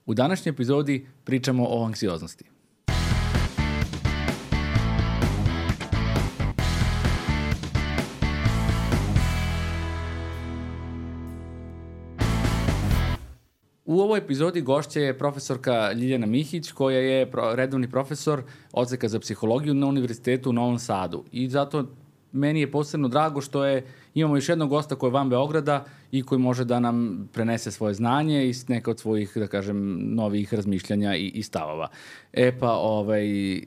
U današnjoj epizodi pričamo o anksioznosti. U ovoj epizodi gošća je profesorka Ljiljana Mihić, koja je redovni profesor odseka za psihologiju na Univerzitetu u Novom Sadu. I zato meni je posebno drago što imamo još jednog gosta koji je van Beograda i koji može da nam prenese svoje znanje i neka od svojih, da kažem, novih razmišljanja i stavova.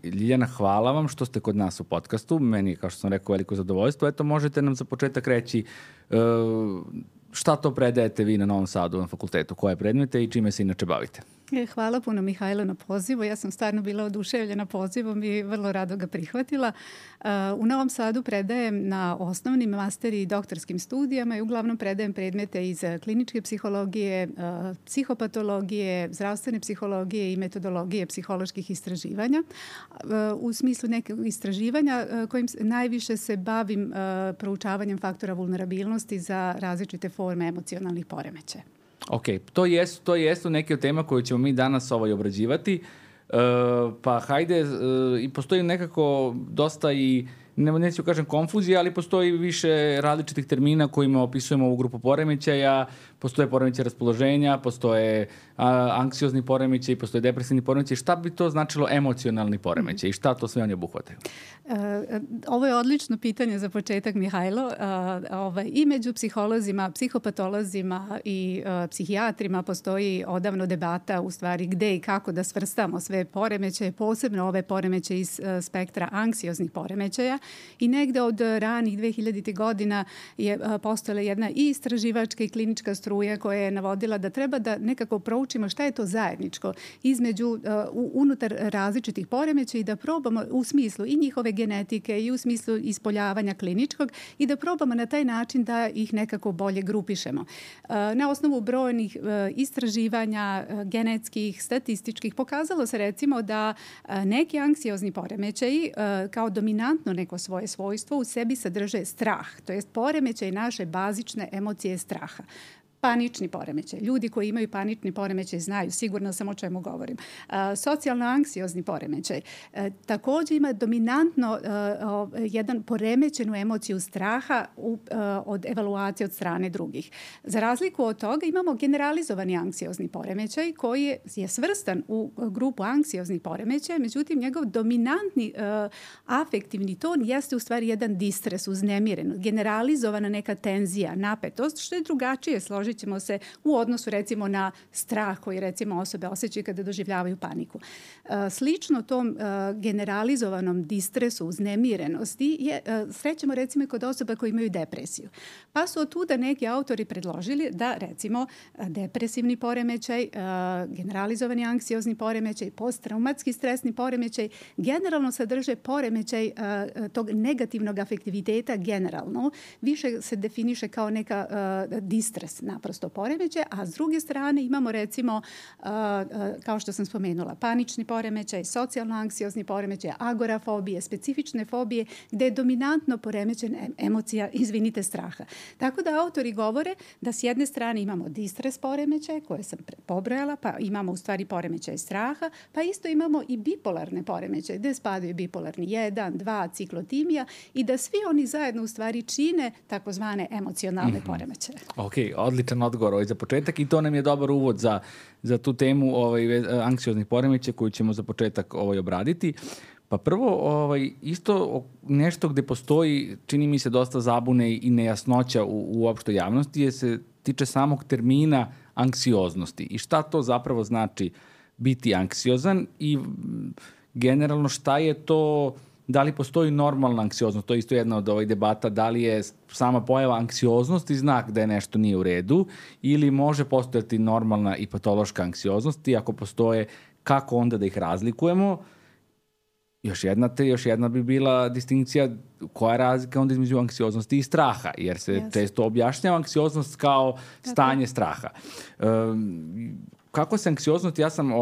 Ljiljana, hvala vam što ste kod nas u podcastu. Meni je, kao što sam rekao, veliko zadovoljstvo. Eto, možete nam za početak reći šta to predajete vi na Novom Sadu na fakultetu, koje predmete i čime se inače bavite? Hvala puno, Mihajlo, na pozivu. Ja sam stvarno bila oduševljena pozivom i vrlo rado ga prihvatila. U Novom Sadu predajem na osnovnim, master i doktorskim studijama i uglavnom predajem predmete iz kliničke psihologije, psihopatologije, zdravstvene psihologije i metodologije psiholoških istraživanja. U smislu nekog istraživanja kojim najviše se bavim proučavanjem faktora vulnerabilnosti za različite forme emocionalnih poremećaja. Ok, to jesu neke od tema koje ćemo mi danas obrađivati, pa hajde, i postoji nekako dosta i, neću kažem konfuzija, ali postoji više različitih termina kojima opisujemo ovu grupu poremećaja. Postoje poremećaj raspoloženja, postoje anksiozni poremećaj, postoje depresivni poremećaj. Šta bi to značilo emocionalni poremećaj i šta to sve oni obuhvataju? Ovo je odlično pitanje za početak, Mihajlo. I među psiholozima, psihopatolozima i psihijatrima postoji odavno debata u stvari gde i kako da svrstamo sve poremećaje, posebno ove poremećaje iz spektra anksioznih poremećaja. I negde od ranih 2000. godina je postojala jedna i istraživačka i klinička struja koja je navodila da treba da nekako proučimo šta je to zajedničko između unutar različitih poremećaja i da probamo u smislu i njihove genetike i u smislu ispoljavanja kliničkog i da probamo na taj način da ih nekako bolje grupišemo. Na osnovu brojnih istraživanja genetskih, statističkih pokazalo se recimo da neki anksiozni poremećaji kao dominantno neko svoje svojstvo u sebi sadrže strah, to jest poremećaj naše bazične emocije straha. Panični poremećaj. Ljudi koji imaju panični poremećaj znaju, sigurno sam o čemu govorim. Socijalno-anksiozni poremećaj. Također ima dominantno jedan poremećenu emociju straha od evaluacije od strane drugih. Za razliku od toga imamo generalizovani anksiozni poremećaj koji je svrstan u grupu anksioznih poremećaja, međutim njegov dominantni afektivni ton jeste u stvari jedan distres, uznemiren, generalizovana neka tenzija, napetost, što je drugačije složiti ćemo se u odnosu recimo na strah koji recimo osobe osjećaju kada doživljavaju paniku. Slično tom generalizovanom distresu, uznemirenosti srećemo recimo i kod osoba koji imaju depresiju. Pa su otuda neki autori predložili da recimo depresivni poremećaj, generalizovani anksiozni poremećaj, posttraumatski stresni poremećaj generalno sadrže poremećaj tog negativnog afektiviteta generalno. Više se definiše kao neka distres naprosto poremećaj, a s druge strane imamo recimo, kao što sam spomenula, panični poremećaj, socijalno-anksiozni poremećaj, agorafobije, specifične fobije, gde je dominantno poremećen emocija, straha. Tako da autori govore da s jedne strane imamo distres poremećaj, koje sam pobrojala, pa imamo u stvari poremećaj straha, pa isto imamo i bipolarne poremećaje, gde spadaju bipolarni 1, 2, ciklotimija i da svi oni zajedno u stvari čine takozvane emocionalne poremećaje. Ok, odličan odgovor za početak i to nam je dobar uvod za tu temu anksioznih poremećaja koju ćemo za početak obraditi. Pa prvo, isto nešto gde postoji, čini mi se, dosta zabune i nejasnoća u opštoj javnosti se tiče samog termina anksioznosti i šta to zapravo znači biti anksiozan i generalno šta je to, da li postoji normalna anksioznost, to je isto jedna od debata, da li je sama pojava anksioznosti znak da je nešto nije u redu ili može postojati normalna i patološka anksioznost i ako postoje, kako onda da ih razlikujemo? Još jedna bi bila distinkcija koja je razlika onda između anksioznosti i straha, jer se često objašnjava anksioznost kao stanje straha. Kako se anksioznost, ja sam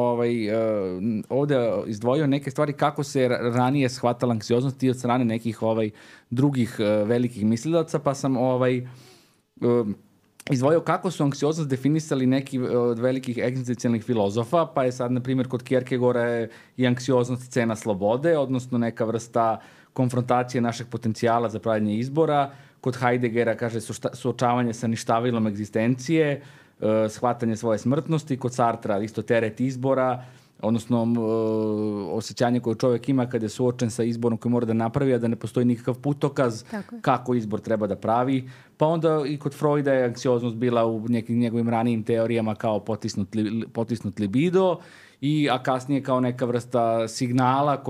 ovde izdvojio neke stvari kako se ranije shvatala anksioznost i od strane nekih drugih velikih mislilaca, pa sam izdvojio kako su anksioznost definisali neki od velikih egzistencijalnih filozofa, pa je sad, na primjer, kod Kierkegaarda i anksioznost cena slobode, odnosno neka vrsta konfrontacije našeg potencijala za pravljenje izbora. Kod Heideggera kaže suočavanje sa ništavilom egzistencije, shvatanje svoje smrtnosti. Kod Sartra isto teret izbora, odnosno osjećanje koje čovjek ima kada je suočen sa izborom koji mora da napravi, a da ne postoji nikakav putokaz kako izbor treba da pravi. Pa onda i kod Freuda je anksioznost bila u nekim njegovim ranijim teorijama kao potisnut libido, a kasnije kao neka vrsta signala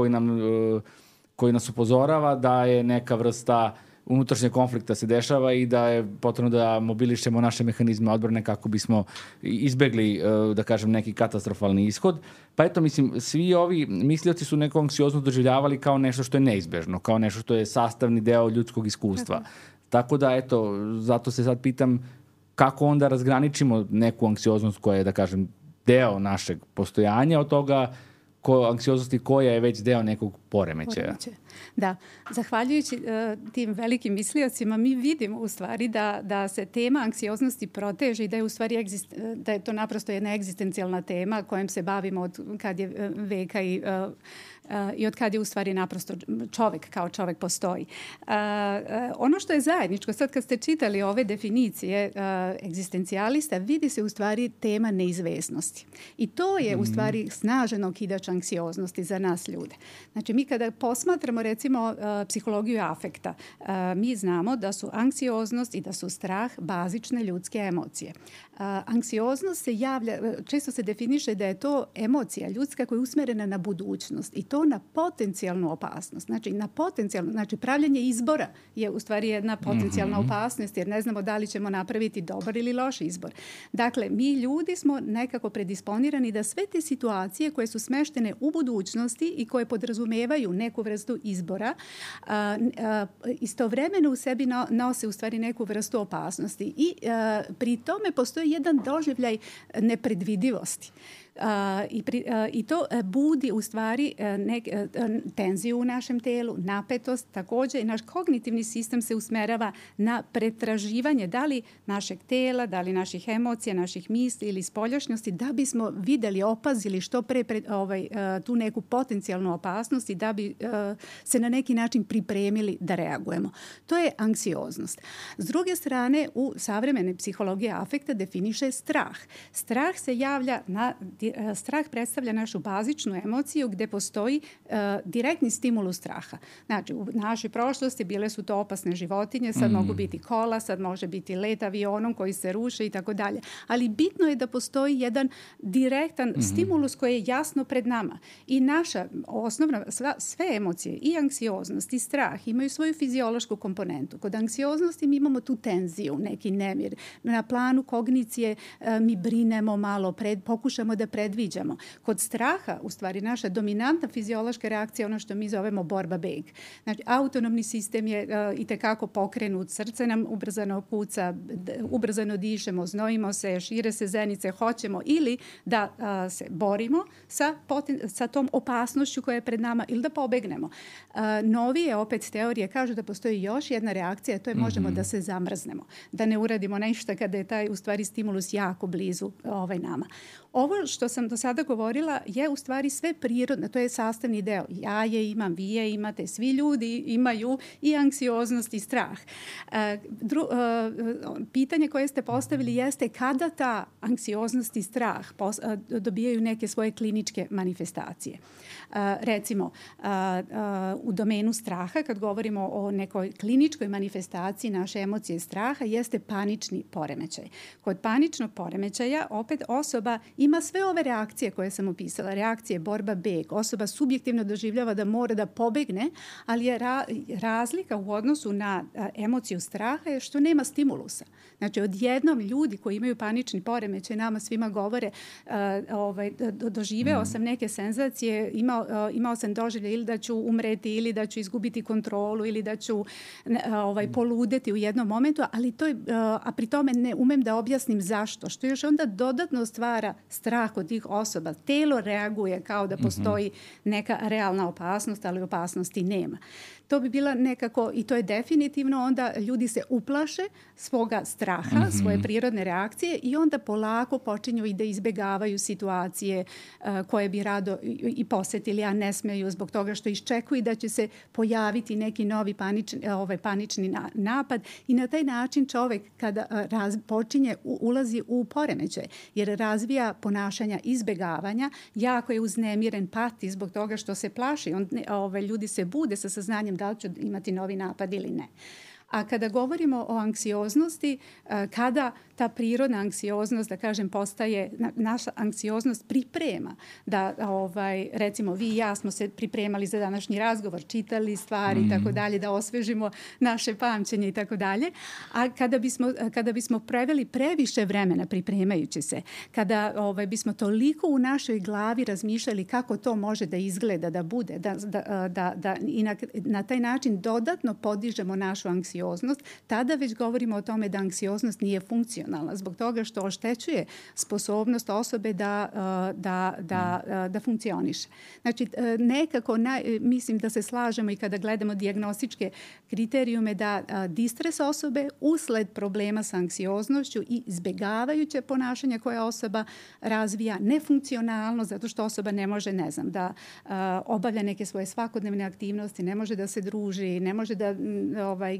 koji nas upozorava da je neka vrsta unutrašnjeg konflikta se dešava i da je potrebno da mobilišemo naše mehanizme odbrane kako bismo izbegli, da kažem, neki katastrofalni ishod. Pa eto, mislim, svi ovi mislioci su neku anksioznost doživljavali kao nešto što je neizbežno, kao nešto što je sastavni deo ljudskog iskustva. Tako da, eto, zato se sad pitam kako onda razgraničimo neku anksioznost koja je, da kažem, deo našeg postojanja od toga anksioznosti koja je već deo nekog poremećaja. Da, zahvaljujući tim velikim misliocima mi vidimo u stvari da se tema anksioznosti proteže i da je u stvari da je to naprosto jedna egzistencijalna tema kojom se bavimo od kad je veka i od kad je u stvari naprosto čovjek kao čovjek postoji. Ono što je zajedničko, sad kad ste čitali ove definicije egzistencijalista, vidi se u stvari tema neizvesnosti. I to je u stvari snažan okidač anksioznosti za nas ljude. Znači mi kada posmatramo recimo psihologiju afekta, mi znamo da su anksioznost i da su strah bazične ljudske emocije. Anksioznost se javlja, često se definiše da je to emocija ljudska koja je usmjerena na budućnost i to na potencijalnu opasnost. Znači pravljenje izbora je u stvari jedna potencijalna opasnost jer ne znamo da li ćemo napraviti dobar ili loš izbor. Dakle, mi ljudi smo nekako predisponirani da sve te situacije koje su smeštene u budućnosti i koje podrazumevaju neku vrstu izbora, istovremeno u sebi nose u stvari neku vrstu opasnosti. I pri tome postoji jedan doživljaj nepredvidivosti. I to budi u stvari tenziju u našem telu, napetost. Također i naš kognitivni sistem se usmerava na pretraživanje da li našeg tela, da li naših emocija, naših misli ili spoljašnjosti, da bismo vidjeli, opazili što pre tu neku potencijalnu opasnost i da bi se na neki način pripremili da reagujemo. To je anksioznost. S druge strane, u savremenoj psihologiji afekta definiše strah. Strah se javlja strah predstavlja našu bazičnu emociju gdje postoji direktni stimulus straha. Znači, u našoj prošlosti bile su to opasne životinje, sad mogu biti kola, sad može biti let avionom koji se ruše i tako dalje. Ali bitno je da postoji jedan direktan stimulus koji je jasno pred nama. I naša osnovna, sve emocije, i anksioznost i strah imaju svoju fiziološku komponentu. Kod anksioznosti mi imamo tu tenziju, neki nemir. Na planu kognicije mi brinemo malo, pokušamo da predviđamo. Kod straha, u stvari, naša dominantna fiziološka reakcija je ono što mi zovemo borba-beg. Znači, autonomni sistem je itekako pokrenut, srce nam ubrzano kuca, ubrzano dišemo, znojimo se, šire se zenice, hoćemo ili da se borimo sa tom opasnošću koja je pred nama ili da pobegnemo. Novije opet teorije kažu da postoji još jedna reakcija, to je možemo da se zamrznemo, da ne uradimo nešto kada je taj u stvari stimulus jako blizu nama. Ovo što sam do sada govorila je u stvari sve prirodno, to je sastavni deo. Ja je imam, vi je imate, svi ljudi imaju i anksioznost i strah. Pitanje koje ste postavili jeste kada ta anksioznost i strah dobijaju neke svoje kliničke manifestacije. Recimo, u domenu straha, kad govorimo o nekoj kliničkoj manifestaciji naše emocije straha, jeste panični poremećaj. Kod paničnog poremećaja opet osoba ima sve ove reakcije koje sam opisala. Reakcije borba, beg. Osoba subjektivno doživljava da mora da pobegne, ali je razlika u odnosu na emociju straha je što nema stimulusa. Znači, odjednom ljudi koji imaju panični poremećaj nama svima govore doživeo sam neke senzacije, imao sam doživljaj ili da ću umreti ili da ću izgubiti kontrolu ili da ću poludeti u jednom momentu, ali to je, a pri tome ne umem da objasnim zašto, što još onda dodatno stvara strah kod tih osoba. Telo reaguje kao da postoji neka realna opasnost, ali opasnosti nema. To bi bila nekako, i to je definitivno, onda ljudi se uplaše svoga straha, svoje prirodne reakcije i onda polako počinju i da izbjegavaju situacije koje bi rado i posetili, a ne smeju zbog toga što iščekuju da će se pojaviti neki novi panični napad i na taj način čovjek kada počinje ulazi u poremećaj jer razvija ponašanja izbjegavanja, jako je uznemiren, pati zbog toga što se plaši. Ljudi se bude sa saznanjem da li ću imati novi napad ili ne. A kada govorimo o anksioznosti, kada ta prirodna anksioznost, da kažem, postaje, naša anksioznost priprema da, recimo, vi i ja smo se pripremali za današnji razgovor, čitali stvari i tako dalje, da osvežimo naše pamćenje i tako dalje. A kada bismo preveli previše vremena pripremajući se, kada bismo toliko u našoj glavi razmišljali kako to može da izgleda, da bude, i na taj način dodatno podižemo našu anksioznost, tada već govorimo o tome da anksioznost nije funkcionalna zbog toga što oštećuje sposobnost osobe da funkcioniše. Znači, nekako mislim da se slažemo i kada gledamo dijagnostičke kriterijume da distres osobe usled problema sa anksioznošću i izbjegavajuće ponašanja koje osoba razvija nefunkcionalno zato što osoba ne može, da obavlja neke svoje svakodnevne aktivnosti, ne može da se druži, ne može da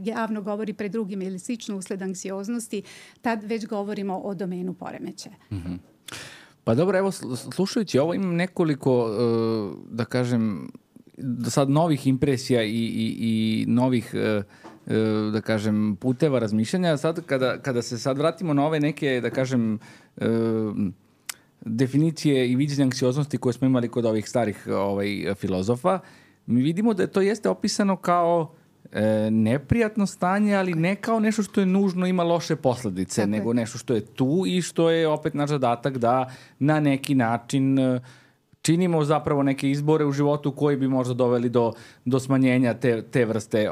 javno govori pred drugim ili slično usled anksioznosti, tad već govorimo o domenu poremećaja. Pa dobro, evo, slušajući ovo imam nekoliko, da kažem, do sad novih impresija i novih, da kažem, puteva razmišljanja. Sad, kada se sad vratimo na ove neke, da kažem, definicije i viđenja anksioznosti koje smo imali kod ovih starih filozofa, mi vidimo da to jeste opisano kao neprijatno stanje, ali ne kao nešto što je nužno ima loše posljedice, nego nešto što je tu i što je opet naš zadatak da na neki način činimo zapravo neke izbore u životu koji bi možda doveli do smanjenja te vrste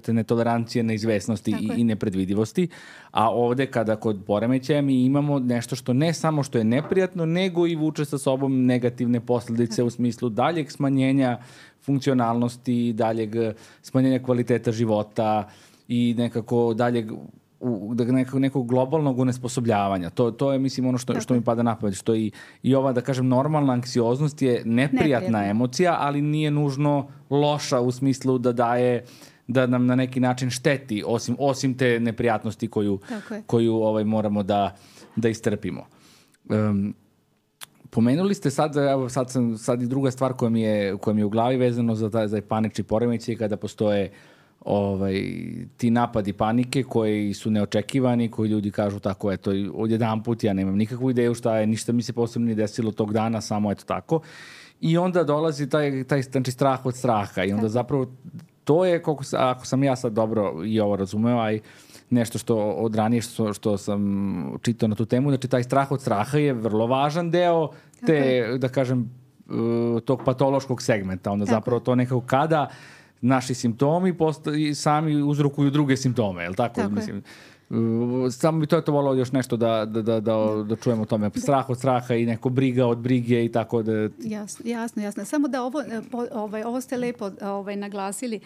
netolerancije, neizvesnosti i nepredvidivosti. A ovdje kada kod poremećaja mi imamo nešto što ne samo što je neprijatno, nego i vuče sa sobom negativne posljedice u smislu daljeg smanjenja funkcionalnosti, daljeg smanjenja kvaliteta života i nekako daljeg nekog globalnog unesposobljavanja. To je, mislim, ono što mi pada na pamet, što i ova, da kažem, normalna anksioznost je neprijatna emocija, ali nije nužno loša u smislu da nam na neki način šteti, osim te neprijatnosti koju možemo da istrpimo. Pomenuli ste sad i druga stvar koja mi je u glavi vezano za panični poremećaj, kada postoje ti napadi panike koji su neočekivani, koji ljudi kažu tako, eto, odjedanput ja nemam nikakvu ideju šta je, ništa mi se posebno nije desilo tog dana, samo eto tako. I onda dolazi taj znači, strah od straha i onda zapravo to je, ako sam ja sad dobro i ovo razumeo, a i nešto što od ranije što sam čitao na tu temu, znači taj strah od straha je vrlo važan deo da kažem, tog patološkog segmenta. Onda zapravo to nekako kada naši simptomi sami uzrokuju druge simptome, je li tako? Mislim, samo bi to volao još nešto da čujemo o tome. Strah od straha i neko briga od brige i tako da... Jasno. Samo da ovo ste lepo naglasili.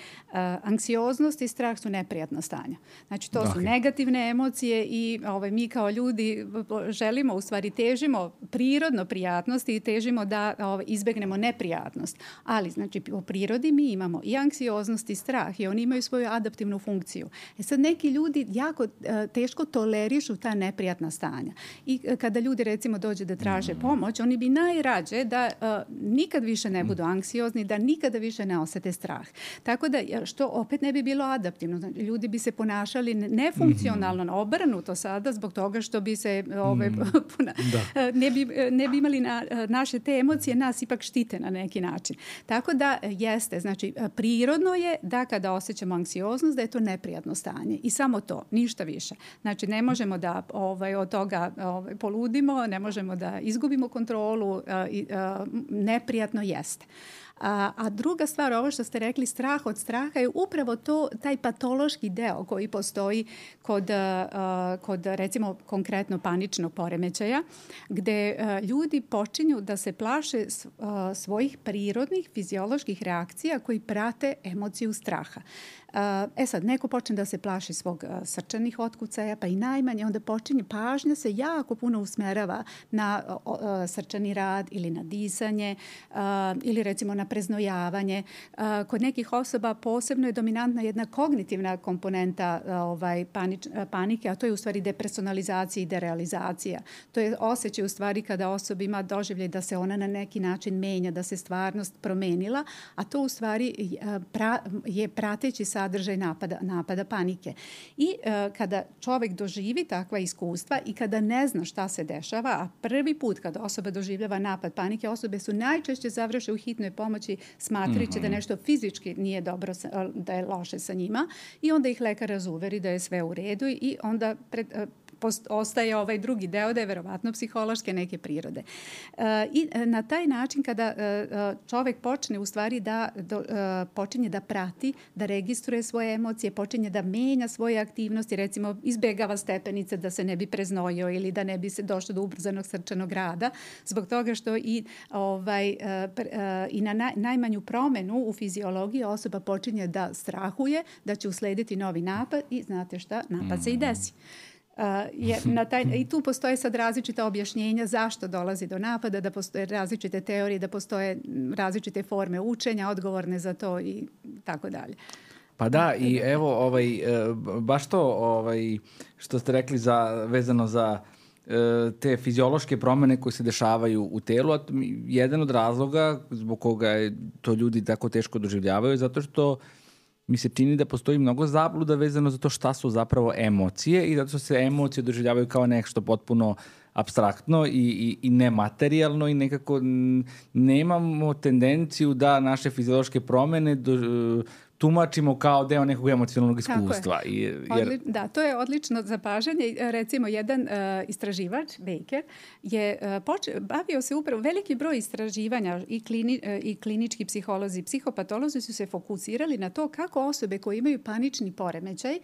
Anksioznost i strah su neprijatna stanja. Znači, to su negativne emocije i mi kao ljudi želimo, u stvari težimo prirodno prijatnosti i težimo da izbegnemo neprijatnost. Ali, znači, po prirodi mi imamo i anksioznost i strah i oni imaju svoju adaptivnu funkciju. Sad neki ljudi jako teško tolerišu ta neprijatna stanja. I kada ljudi, recimo, dođe da traže pomoć, oni bi najrađe da nikad više ne budu anksiozni, da nikada više ne osete strah. Tako da, što opet ne bi bilo adaptivno. Znači, ljudi bi se ponašali nefunkcionalno, obrnuto sada, zbog toga što bi se ne bi imali naše te emocije, nas ipak štite na neki način. Tako da jeste, znači, prirodno je da kada osjećamo anksioznost, da je to neprijatno stanje. I samo to, ništa više. Znači, ne možemo da od toga poludimo, ne možemo da izgubimo kontrolu, neprijatno jeste. A druga stvar, ovo što ste rekli, strah od straha je upravo taj patološki deo koji postoji kod recimo konkretno paničnog poremećaja, gde ljudi počinju da se plaše svojih prirodnih fizioloških reakcija koji prate emociju straha. Sad, neko počne da se plaši svog srčanih otkucaja, pa i najmanje, onda počinje pažnja se jako puno usmerava na srčani rad ili na disanje ili recimo na preznojavanje. Kod nekih osoba posebno je dominantna jedna kognitivna komponenta panike, a to je u stvari depersonalizacija i derealizacija. To je osjećaj u stvari kada osoba ima doživljaj da se ona na neki način menja, da se stvarnost promenila, a to u stvari je prateći sadržaj napada panike. I kada čovjek doživi takva iskustva i kada ne zna šta se dešava, a prvi put kada osoba doživljava napad panike, osobe su najčešće završe u hitnoj pomoći smatrajući da nešto fizički nije dobro, da je loše sa njima, i onda ih lekar razuveri da je sve u redu i onda ostaje ovaj drugi deo da je verovatno psihološke neke prirode. I na taj način kada čovjek počne u stvari počinje da prati, da registruje svoje emocije, počinje da menja svoje aktivnosti, recimo izbegava stepenice da se ne bi preznojio ili da ne bi se došlo do ubrzanog srčanog rada, zbog toga što i na najmanju promenu u fiziologiji osoba počinje da strahuje da će uslediti novi napad i znate šta, napad se i desi. I tu postoje sad različita objašnjenja zašto dolazi do napada, da postoje različite teorije, da postoje različite forme učenja, odgovorne za to i tako dalje. Pa da, i evo, baš to što ste rekli vezano za te fiziološke promene koje se dešavaju u telu, a jedan od razloga zbog koga to ljudi tako teško doživljavaju, zato što mi se čini da postoji mnogo zabluda vezano za to šta su zapravo emocije i zato se emocije doživljavaju kao nešto potpuno apstraktno i nematerijalno i nekako nemamo tendenciju da naše fiziološke promene tumačimo kao deo nekog emocionalnog iskustva. Da, to je odlično zapažanje. Recimo, jedan istraživač, Baker, je bavio se upravo veliki broj istraživanja i klinički psiholozi, psihopatolozi su se fokusirali na to kako osobe koje imaju panični poremećaj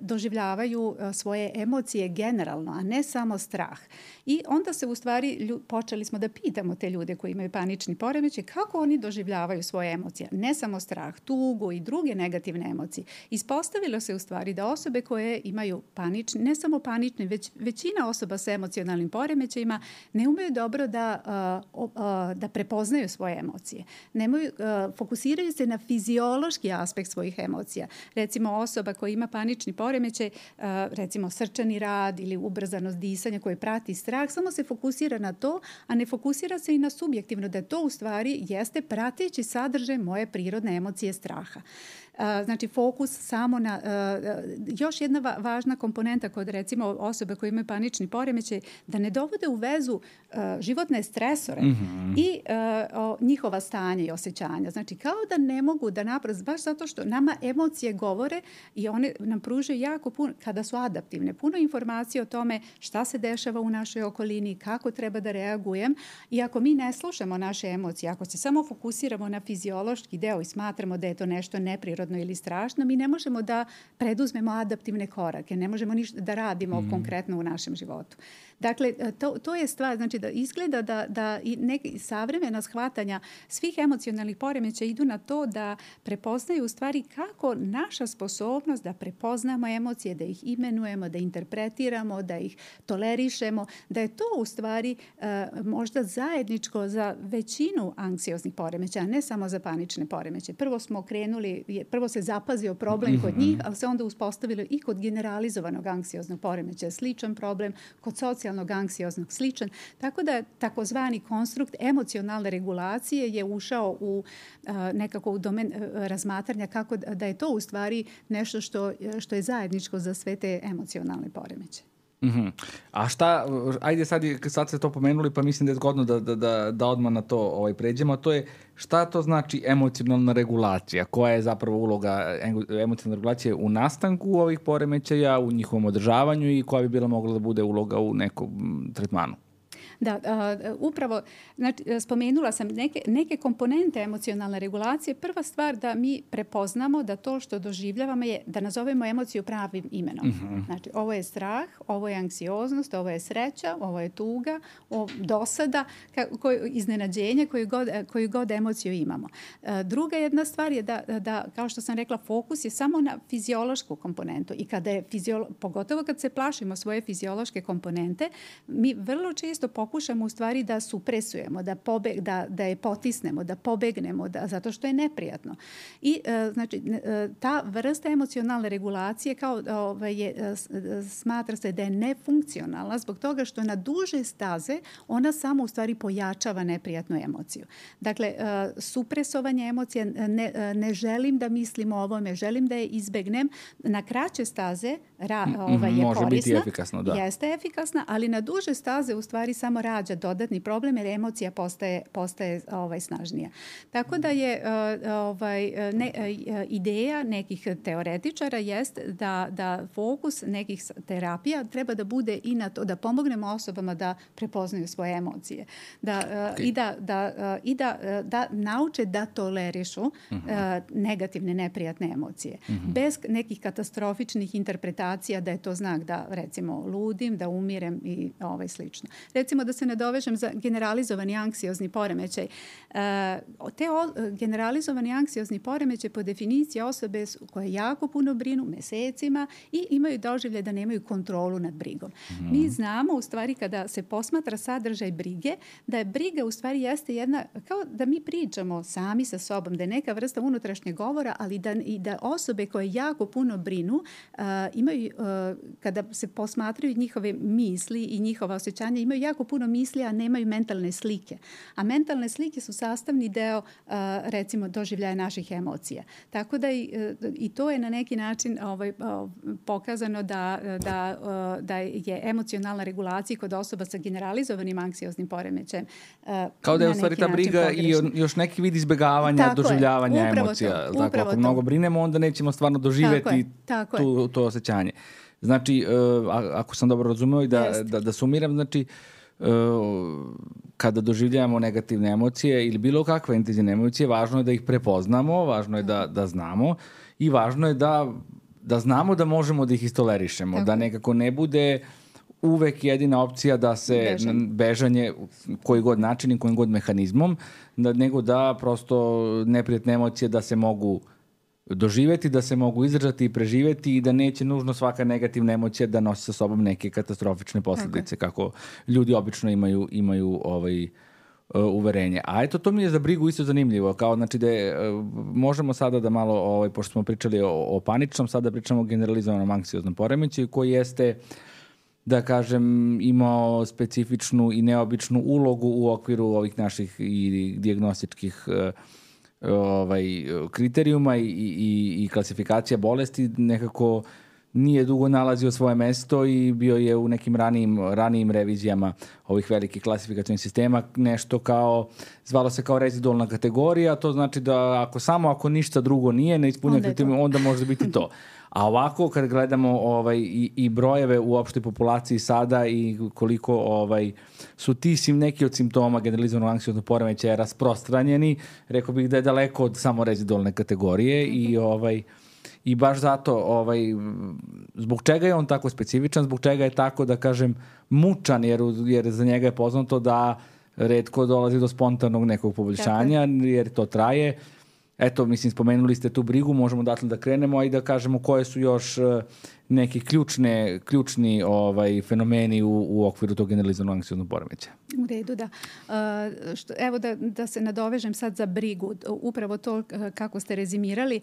doživljavaju svoje emocije generalno, a ne samo strah. I onda se u stvari počeli smo da pitamo te ljude koji imaju panični poremećaj kako oni doživljavaju svoje emocije, ne samo strah, tugu i druge negativne emocije. Ispostavilo se u stvari da osobe koje imaju panični, ne samo panični, već većina osoba sa emocionalnim poremećajima ne umeju dobro da prepoznaju svoje emocije. Fokusiraju se na fiziološki aspekt svojih emocija. Recimo osoba koja ima panični poremećaj, recimo srčani rad ili ubrzanost disanja koje prati strah, samo se fokusira na to, a ne fokusira se i na subjektivno, da to u stvari jeste prateći sadržaj moje prirodne emocije straha. Znači fokus samo na još jedna važna komponenta kod recimo osobe koje imaju panični poremećaj, da ne dovode u vezu životne stresore i njihova stanja i osjećanja. Znači kao da ne mogu da naprosto, baš zato što nama emocije govore i one nam pružaju jako puno, kada su adaptivne, puno informacije o tome šta se dešava u našoj okolini, kako treba da reagujem, i ako mi ne slušamo naše emocije, ako se samo fokusiramo na fiziološki deo i smatramo da je to nešto neprirodno ili strašno, mi ne možemo da preduzmemo adaptivne korake, ne možemo ništa da radimo konkretno u našem životu. Dakle, to je stvar, znači da izgleda da i neki savremena shvatanja svih emocionalnih poremećaja idu na to da prepoznaju u stvari kako naša sposobnost da prepoznamo emocije, da ih imenujemo, da interpretiramo, da ih tolerišemo, da je to u stvari možda zajedničko za većinu anksioznih poremećaja, ne samo za panične poremećaje. Prvo se zapazio problem kod njih, ali se onda uspostavilo i kod generalizovanog anksioznog poremećaja sličan problem, kod socijalnog anksioznog sličan. Tako da takozvani konstrukt emocionalne regulacije je ušao u nekako u domen razmatranja kako da je to u stvari nešto što je zajedničko za sve te emocionalne poremećaje. A šta, ajde sad ste to pomenuli, pa mislim da je zgodno da odmah na to pređemo, a to je šta to znači emocionalna regulacija, koja je zapravo uloga emocionalne regulacije u nastanku ovih poremećaja, u njihovom održavanju i koja bi bila mogla da bude uloga u nekom tretmanu? Da, upravo, znači, spomenula sam neke komponente emocionalne regulacije. Prva stvar da mi prepoznamo da to što doživljavamo je da nazovemo emociju pravim imenom. Znači, ovo je strah, ovo je anksioznost, ovo je sreća, ovo je tuga, dosada, iznenađenje, koju god emociju imamo. Druga jedna stvar je da, kao što sam rekla, fokus je samo na fiziološku komponentu i kada je pogotovo kad se plašimo svoje fiziološke komponente, mi vrlo često pokušamo u stvari da supresujemo, da je potisnemo, da pobegnemo, zato što je neprijatno. I znači, ta vrsta emocionalne regulacije smatra se da je nefunkcionalna zbog toga što na duže staze ona samo u stvari pojačava neprijatnu emociju. Dakle, supresovanje emocija, ne želim da mislim o ovome, želim da je izbegnem, na kraće staze je može korisna. Biti efikasno, da. Jeste efikasna, ali na duže staze u stvari samo rađa dodatni problem jer emocija postaje snažnija. Tako da je ideja nekih teoretičara jest da fokus nekih terapija treba da bude i na to da pomognemo osobama da prepoznaju svoje emocije. I da nauče da tolerišu negativne, neprijatne emocije. Bez nekih katastrofičnih interpretacija da je to znak da, recimo, ludim, da umirem i slično. Recimo, da se nadovežem za generalizovani anksiozni poremećaj. Generalizovani anksiozni poremećaj po definiciji osobe koje jako puno brinu mesecima i imaju doživljaj da nemaju kontrolu nad brigom. Mi znamo, u stvari, kada se posmatra sadržaj brige, da je briga u stvari jeste jedna, kao da mi pričamo sami sa sobom, da je neka vrsta unutrašnjeg govora, ali da osobe koje jako puno brinu imaju, kada se posmatraju njihove misli i njihova osjećanja, imaju jako puno misli, a nemaju mentalne slike. A mentalne slike su sastavni deo, recimo, doživljaja naših emocija. Tako da i to je na neki način pokazano da je emocionalna regulacija kod osoba sa generalizovanim anksioznim poremećajem. Kao da je u stvari ta briga i još neki vid izbjegavanja, doživljavanja emocija. Ako mnogo brinemo, onda nećemo stvarno doživjeti to osjećanje. Znači, ako sam dobro razumeo i da sumiram, znači, kada doživljavamo negativne emocije ili bilo kakve intenzivne emocije, važno je da ih prepoznamo, važno je da znamo i važno je da znamo da možemo da ih istolerišemo, da nekako ne bude uvek jedina opcija da se bežanje koji god način i kojim god mehanizmom, nego da prosto neprijatne emocije da se mogu doživjeti, da se mogu izdržati i preživjeti i da neće nužno svaka negativna emocija da nosi sa sobom neke katastrofične posljedice, kako ljudi obično imaju uverenje. A eto, to mi je za brigu isto zanimljivo, kao znači da možemo sada da malo, pošto smo pričali o paničnom, sada pričamo o generalizovanom anksioznom poremećaju koji jeste, da kažem, imao specifičnu i neobičnu ulogu u okviru ovih naših i dijagnostičkih kriterijuma i klasifikacija bolesti. Nekako nije dugo nalazio svoje mesto i bio je u nekim ranijim revizijama ovih velikih klasifikacijnih sistema nešto kao, zvalo se kao rezidualna kategorija, to znači da ako ništa drugo nije, ne ispunja kriterijum, onda može biti to. A ovako, kad gledamo i brojeve u opštoj populaciji sada i koliko su ti neki od simptoma generalizovanog anksioznog poremećaja rasprostranjeni, rekao bih da je daleko od samo rezidualne kategorije i baš zato zbog čega je on tako specifičan, zbog čega je tako, da kažem, mučan, jer za njega je poznato da retko dolazi do spontanog nekog poboljšanja, jer to traje. Eto, mislim, spomenuli ste tu brigu, možemo datle da krenemo, a i da kažemo koje su još neki ključni fenomeni u okviru tog generalizovanog anksioznog poremećaja. U redu, da. Evo da se nadovežem sad za brigu. Upravo to kako ste rezimirali,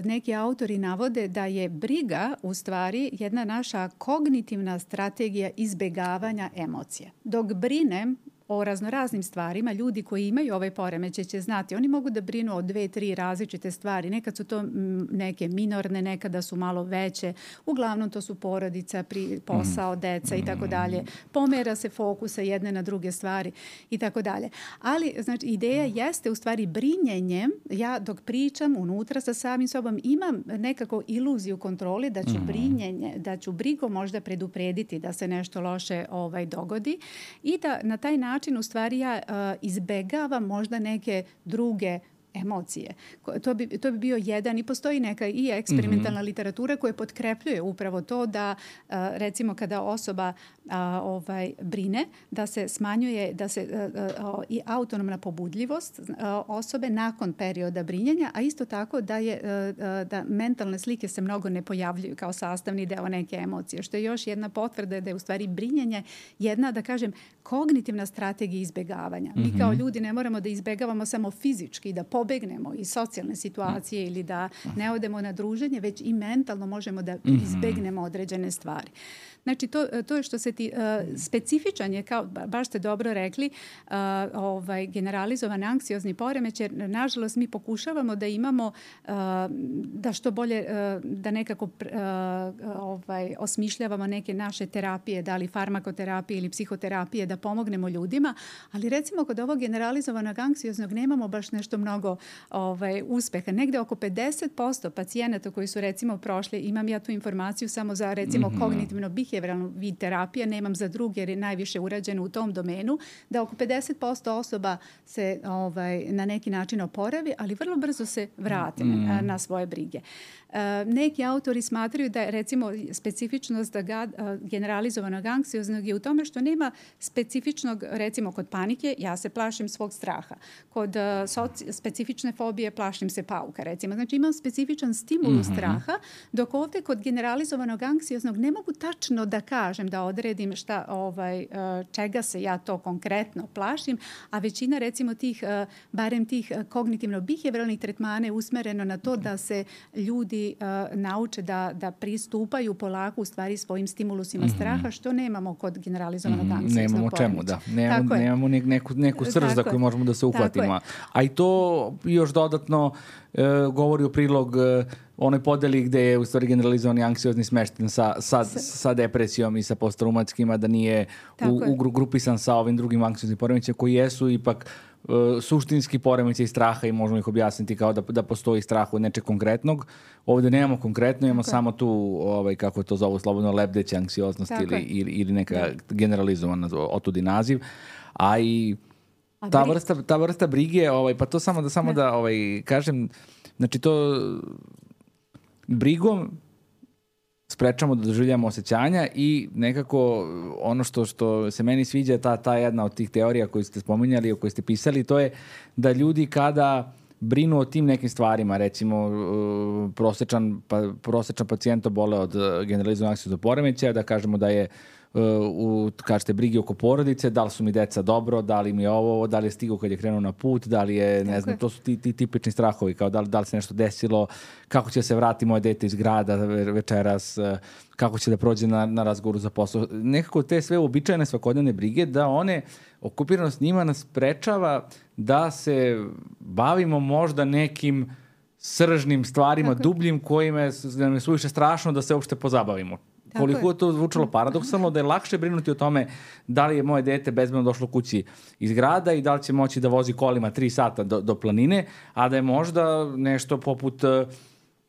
neki autori navode da je briga u stvari jedna naša kognitivna strategija izbjegavanja emocija. Dok brinem, o raznoraznim stvarima. Ljudi koji imaju ovaj poremećaj će znati. Oni mogu da brinu o 2-3 različite stvari. Nekad su to neke minorne, nekada su malo veće. Uglavnom to su porodica, posao, deca i tako dalje. Pomera se fokusa jedne na druge stvari i tako dalje. Ali, znači, ideja jeste u stvari brinjenjem. Ja dok pričam unutra sa samim sobom imam nekako iluziju kontrole da ću brinjenje, da ću brigom možda preduprediti da se nešto loše dogodi i da na taj način u stvari ja izbegavam možda neke druge emocije. To bi bio jedan i postoji neka i eksperimentalna literatura koja potkrepljuje upravo to da recimo kada osoba brine, da se smanjuje i autonomna pobudljivost osobe nakon perioda brinjenja, a isto tako da mentalne slike se mnogo ne pojavljuju kao sastavni deo neke emocije, što je još jedna potvrda da je u stvari brinjenje jedna, da kažem, kognitivna strategija izbegavanja. Mi kao ljudi ne moramo da izbegavamo samo fizički, da pobegnemo iz socijalne situacije ili da ne odemo na druženje, već i mentalno možemo da izbegnemo određene stvari. Znači, to je što se specifičan je, kao baš ste dobro rekli, generalizovan anksiozni poremećaj. Nažalost, mi pokušavamo da imamo, da što bolje, da nekako osmišljavamo neke naše terapije, da li farmakoterapije ili psihoterapije, da pomognemo ljudima, ali recimo kod ovog generalizovanog anksioznog nemamo baš nešto mnogo uspeha. Negde oko 50% pacijenata koji su recimo prošli, imam ja tu informaciju samo za recimo kognitivno behavioralnu vid terapije, nemam za druge jer je najviše urađeno u tom domenu, da oko 50% osoba se na neki način oporavi, ali vrlo brzo se vrate na svoje brige. Neki autori smatraju da je recimo specifičnost generalizovanog anksioznog je u tome što nema specifičnog, recimo kod panike, ja se plašim svog straha. Kod specifične fobije plašim se pauka, recimo. Znači imam specifičan stimulus straha, dok ovdje kod generalizovanog anksioznog ne mogu tačno da kažem, da odredim čega se ja to konkretno plašim, a većina recimo barem tih kognitivno-behavioralnih tretmana je usmereno na to da se ljudi nauče da pristupaju polako u stvari svojim stimulusima straha, što nemamo kod generalizovanog anksioznog Nemamo čemu, da. Nemamo neku srž za koju možemo da se uhvatimo. A i to još dodatno govori u prilog onoj podeli gde je u stvari generalizovani anksiozni smešten sa depresijom i sa posttraumatskima, da nije grupisan sa ovim drugim anksioznim poremećajima koji jesu ipak suštinski poremećaj straha i možemo ih objasniti kao da postoji strah od nečeg konkretnog. Ovdje nemamo konkretno, imamo samo tu, kako to zovu slobodno, lebdeća anksioznost ili neka generalizovana, otudi naziv. A i ta vrsta brige, pa to samo da kažem, znači to brigom sprečamo da doživljamo osjećanja i nekako ono što se meni sviđa, ta jedna od tih teorija koju ste spominjali, o kojoj ste pisali, to je da ljudi kada brinu o tim nekim stvarima, recimo prosječan pacijent obole od generalizovanog anksioznog poremećaja, da kažemo da je kažete brige oko porodice, da li su mi deca dobro, da li mi je ovo, da li je stigao kad je krenuo na put, da li je, ne znam, to su ti tipični strahovi, kao da li se nešto desilo, kako će se vrati moje dete iz grada večeras, kako će da prođe na razgovoru za posao. Nekako te sve uobičajene svakodnevne brige, da one, okupiranost njima nas sprečava da se bavimo možda nekim sržnim stvarima, dubljim, kojima je suviše strašno da se uopšte pozabavimo. Koliko je to zvučalo paradoksalno, da je lakše brinuti o tome da li je moje dete bezbedno došlo kući iz grada i da li će moći da vozi kolima 3 sata do planine, a da je možda nešto poput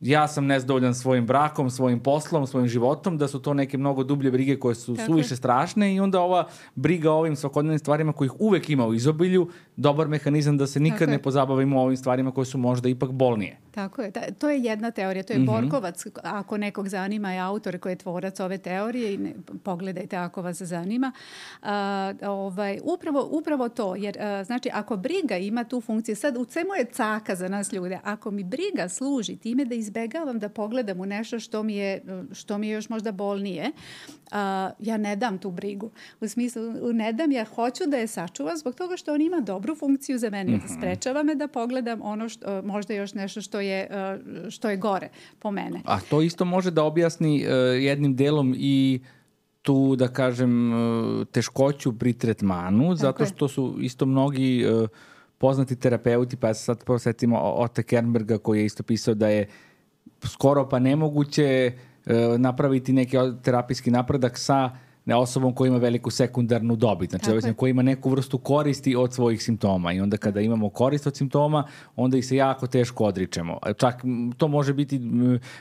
ja sam nezadovoljan svojim brakom, svojim poslom, svojim životom, da su to neke mnogo dublje brige koje su suviše strašne i onda ova briga o ovim svakodnevnim stvarima kojih uvek ima u izobilju, dobar mehanizam da se nikad ne pozabavimo ovim stvarima koje su možda ipak bolnije. Tako je. To je jedna teorija. To je Borkovac, ako nekog zanima, je autor koji je tvorac ove teorije i pogledajte ako vas zanima. Upravo to. Jer, znači, ako briga ima tu funkciju, sad u svemu je caka za nas ljude. Ako mi briga služi time da izbegavam da pogledam u nešto što mi je još možda bolnije, ja ne dam tu brigu. U smislu, ne dam, ja hoću da je sačuvam zbog toga što on ima dobru funkciju za mene. Sprečava me da pogledam ono možda još nešto što je gore po mene. A to isto može da objasni jednim delom i tu, da kažem, teškoću pri tretmanu, zato što su isto mnogi poznati terapeuti, pa sad posjetimo Otte Kernberga koji je isto pisao da je skoro pa nemoguće napraviti neki terapijski napredak sa osobom koja ima veliku sekundarnu dobit. Znači, koja ima neku vrstu koristi od svojih simptoma. I onda kada imamo korist od simptoma, onda ih se jako teško odričemo. Čak to može biti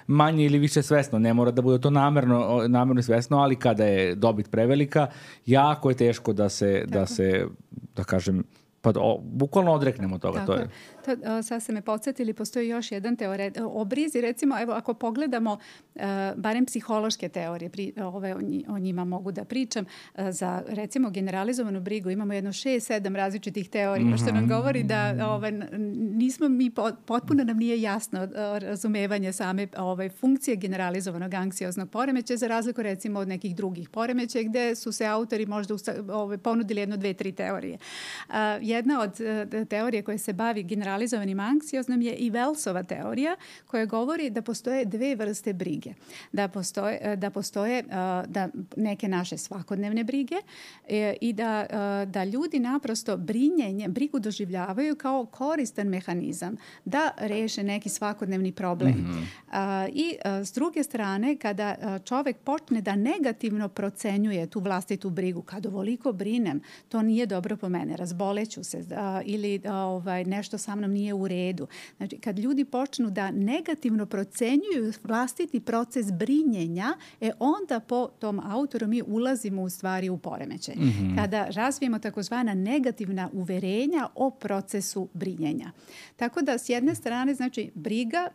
manje ili više svesno. Ne mora da bude to namerno svesno, ali kada je dobit prevelika, jako je teško da se da kažem, pa bukvalno odreknemo toga. Tako je. Sad ste me podsjetili, postoji još jedan teorija o brizi. Recimo, evo, ako pogledamo barem psihološke teorije, o njima mogu da pričam, za recimo generalizovanu brigu imamo jedno 6-7 različitih teorija, što nam govori da nismo mi, potpuno nam nije jasno razumevanje same funkcije generalizovanog anksioznog poremećaja, za razliku recimo od nekih drugih poremećaja gde su se autori možda ponudili 1-2-3 teorije. Jedna od teorije koje se bavi generalizovanim anksioznom je i Wellsova teorija koja govori da postoje 2 vrste brige. Da postoje neke naše svakodnevne brige i da ljudi naprosto brigu doživljavaju kao koristan mehanizam da reše neki svakodnevni problem. I s druge strane, kada čovek počne da negativno procenjuje tu vlastitu brigu, kad ovoliko brinem, to nije dobro po mene, razboleću se ili nešto sa mnom nije u redu. Znači, kad ljudi počnu da negativno procenjuju vlastiti proces brinjenja, onda po tom autoru mi ulazimo u stvari u poremećaj. Kada razvijemo takozvana negativna uverenja o procesu brinjenja. Tako da s jedne strane, znači, briga,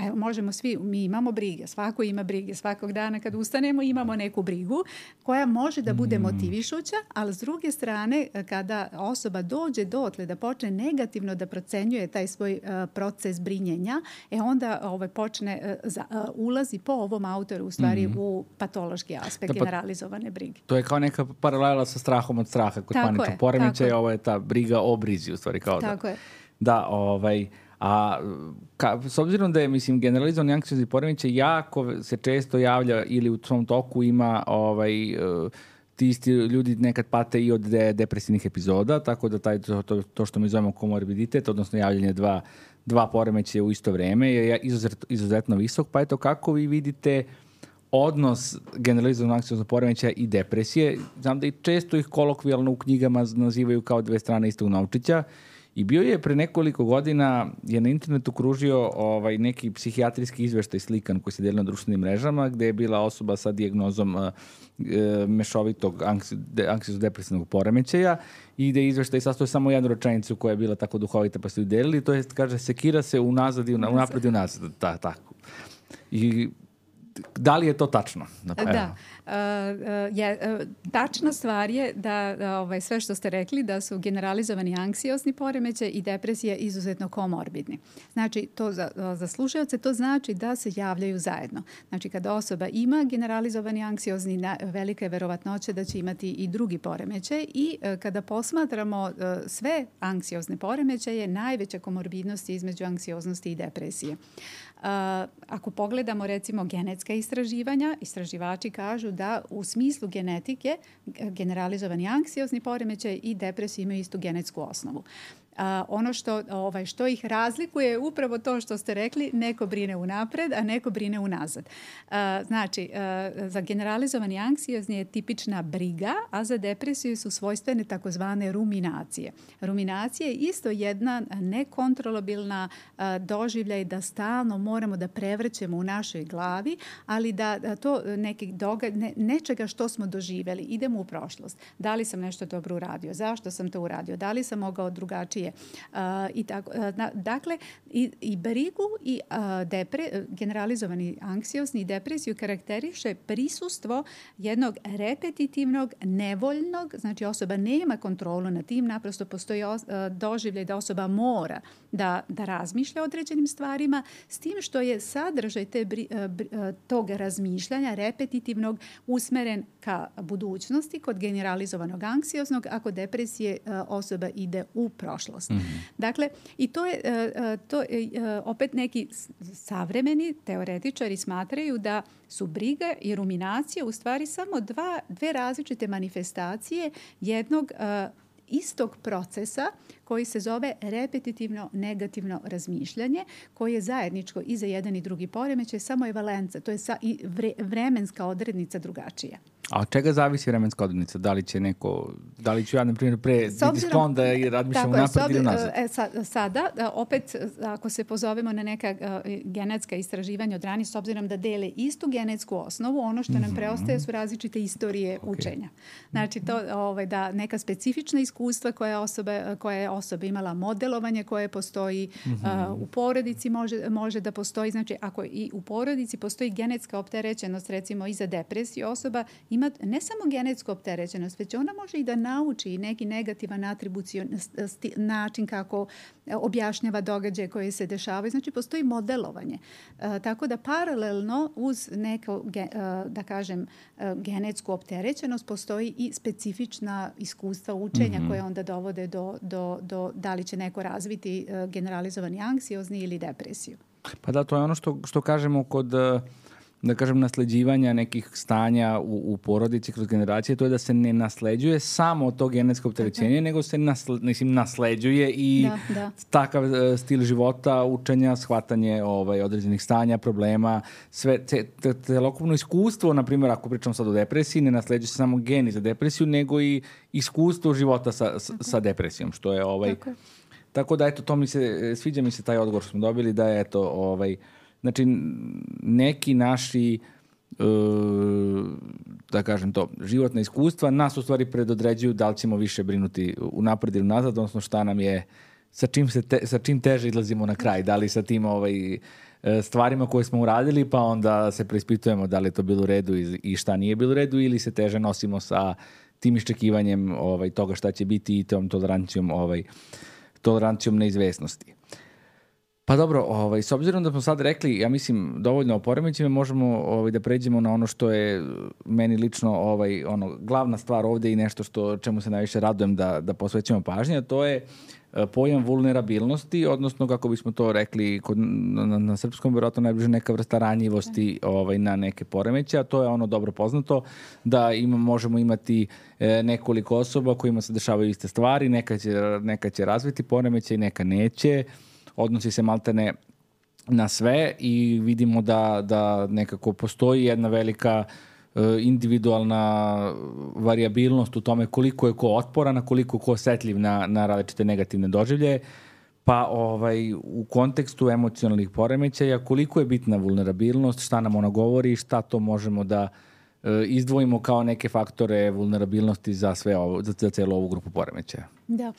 evo, možemo svi, mi imamo brige, svako ima brige, svakog dana kad ustanemo imamo neku brigu koja može da bude motivišuća, ali s druge strane, kada osoba dođe dotle da počne negativno da procenjuje taj svoj proces brinjenja, onda ulazi po ovom autoru u stvari u patološki aspekt generalizovane brige. To je kao neka paralela sa strahom od straha kod paničnog poremećaja, ovo je ta briga o brizi u stvari. Tako je. Da, a s obzirom da je, mislim, generalizovani anksiozni poremećaj jako se često javlja ili u svom toku ima ti isti ljudi nekad pate i od depresivnih epizoda, tako da to što mi zovemo komorbiditet, odnosno javljanje dva poremećaja u isto vreme je izuzetno visok, pa eto kako vi vidite odnos generalizovanog anksioznog poremećaja i depresije. Znam da i često ih kolokvijalno u knjigama nazivaju kao 2 strane istog novčića. I bio je pre nekoliko godina, je na internetu kružio neki psihijatrijski izveštaj slikan koji se deli na društvenim mrežama, gde je bila osoba sa dijagnozom mešovitog anksiozno-depresivnog poremećaja i gde je izveštaj sastoji samo jednu rečenicu koja je bila tako duhovita pa su ju delili, to je, kaže, sekira se unapred i unazad. Tako. I da li je to tačno? Da. Tačna stvar je da sve što ste rekli da su generalizovani anksiozni poremećaj i depresija izuzetno komorbidni. Znači, to za slušaoce to znači da se javljaju zajedno. Znači, kada osoba ima generalizovani anksiozni, velika je verovatnoća da će imati i drugi poremećaj i kada posmatramo sve anksiozne poremećaje, najveća komorbidnost je između anksioznosti i depresije. Ako pogledamo recimo genetska istraživanja, istraživači kažu da u smislu genetike generalizovani anksiozni poremećaj i depresija imaju istu genetsku osnovu. Ono što ih razlikuje je upravo to što ste rekli, neko brine unapred, a neko brine unazad. Znači, za generalizovani anksiozni je tipična briga, a za depresiju su svojstvene takozvane ruminacije. Ruminacija je isto jedna nekontrolabilna doživljaj da stalno moramo da prevrćemo u našoj glavi, ali da to nečega što smo doživjeli, idemo u prošlost. Da li sam nešto dobro uradio? Zašto sam to uradio? Da li sam mogao drugačije? Dakle, i brigu i generalizovani anksiozni i depresiju karakteriše prisustvo jednog repetitivnog, nevoljnog, znači osoba nema kontrolu nad tim, naprosto postoji doživljaj da osoba mora da razmišlja o određenim stvarima, s tim što je sadržaj tog razmišljanja repetitivnog usmeren ka budućnosti kod generalizovanog anksioznog, a kod depresije osoba ide u prošlost. prošlost. Dakle, i to je opet neki savremeni teoretičari smatraju da su briga i ruminacija u stvari samo dve različite manifestacije jednog istog procesa koji se zove repetitivno negativno razmišljanje, koje je zajedničko i za jedan i drugi poremećaj, samo je valenca, to je vremenska odrednica drugačija. A od čega zavisi vremenska odrednica? Da li ću ja, na primjer, pre biti sklon da razmišljam napred ili nazad? Sada, opet, ako se pozovemo na neka genetska istraživanja od ranije, s obzirom da dele istu genetsku osnovu, ono što nam preostaje su različite istorije učenja. Znači, to da neka specifična iskustva koja je osoba imala, modelovanje koje postoji u porodici može da postoji. Znači, ako i u porodici postoji genetska opterećenost, recimo i za depresiju, osoba ima ne samo genetsku opterećenost, već ona može i da nauči neki negativan način kako objašnjava događaje koje se dešavaju. Znači, postoji modelovanje. Tako da paralelno uz neko, da kažem, genetsku opterećenost postoji i specifična iskustva učenja koje onda dovode do da li će neko razviti generalizovani anksiozni ili depresiju. Pa da, to je ono što kažemo kod, da kažem, nasleđivanja nekih stanja u porodici kroz generacije, to je da se ne nasleđuje samo to genetsko opterećenje, nego se nasleđuje i takav stil života, učenja, shvatanje određenih stanja, problema, sve celokupno iskustvo, na primjer, ako pričamo sad o depresiji, ne nasleđuje se samo geni za depresiju, nego i iskustvo života sa depresijom, što je Tako da, eto, sviđa mi se taj odgovor što smo dobili, da je, eto, znači, neki naši, da kažem to, životna iskustva nas u stvari predodređuju da li ćemo više brinuti unapred ili nazad, odnosno šta nam je, sa čim teže izlazimo na kraj, da li sa tim stvarima koje smo uradili, pa onda se preispitujemo da li je to bilo u redu i šta nije bilo u redu, ili se teže nosimo sa tim iščekivanjem toga šta će biti i tom tolerancijom neizvesnosti. Pa dobro, s obzirom da smo sad rekli, ja mislim, dovoljno o poremećima, možemo da pređemo na ono što je meni lično glavna stvar ovdje i nešto čemu se najviše radujem da posvećamo pažnje, a to je pojam vulnerabilnosti, odnosno, kako bismo to rekli na srpskom, vjerojatno najbliže neka vrsta ranjivosti na neke poremeće, a to je ono dobro poznato, da možemo imati nekoliko osoba kojima se dešavaju iste stvari, neka će razviti poremeće i neka neće, odnosi se maltene na sve i vidimo da nekako postoji jedna velika individualna varijabilnost u tome koliko je ko otporan, a koliko ko osetljiv na različite negativne doživljaje. Pa u kontekstu emocionalnih poremećaja, koliko je bitna vulnerabilnost, šta nam ona govori, šta to možemo da izdvojimo kao neke faktore vulnerabilnosti za celu ovu grupu poremećaja. Da,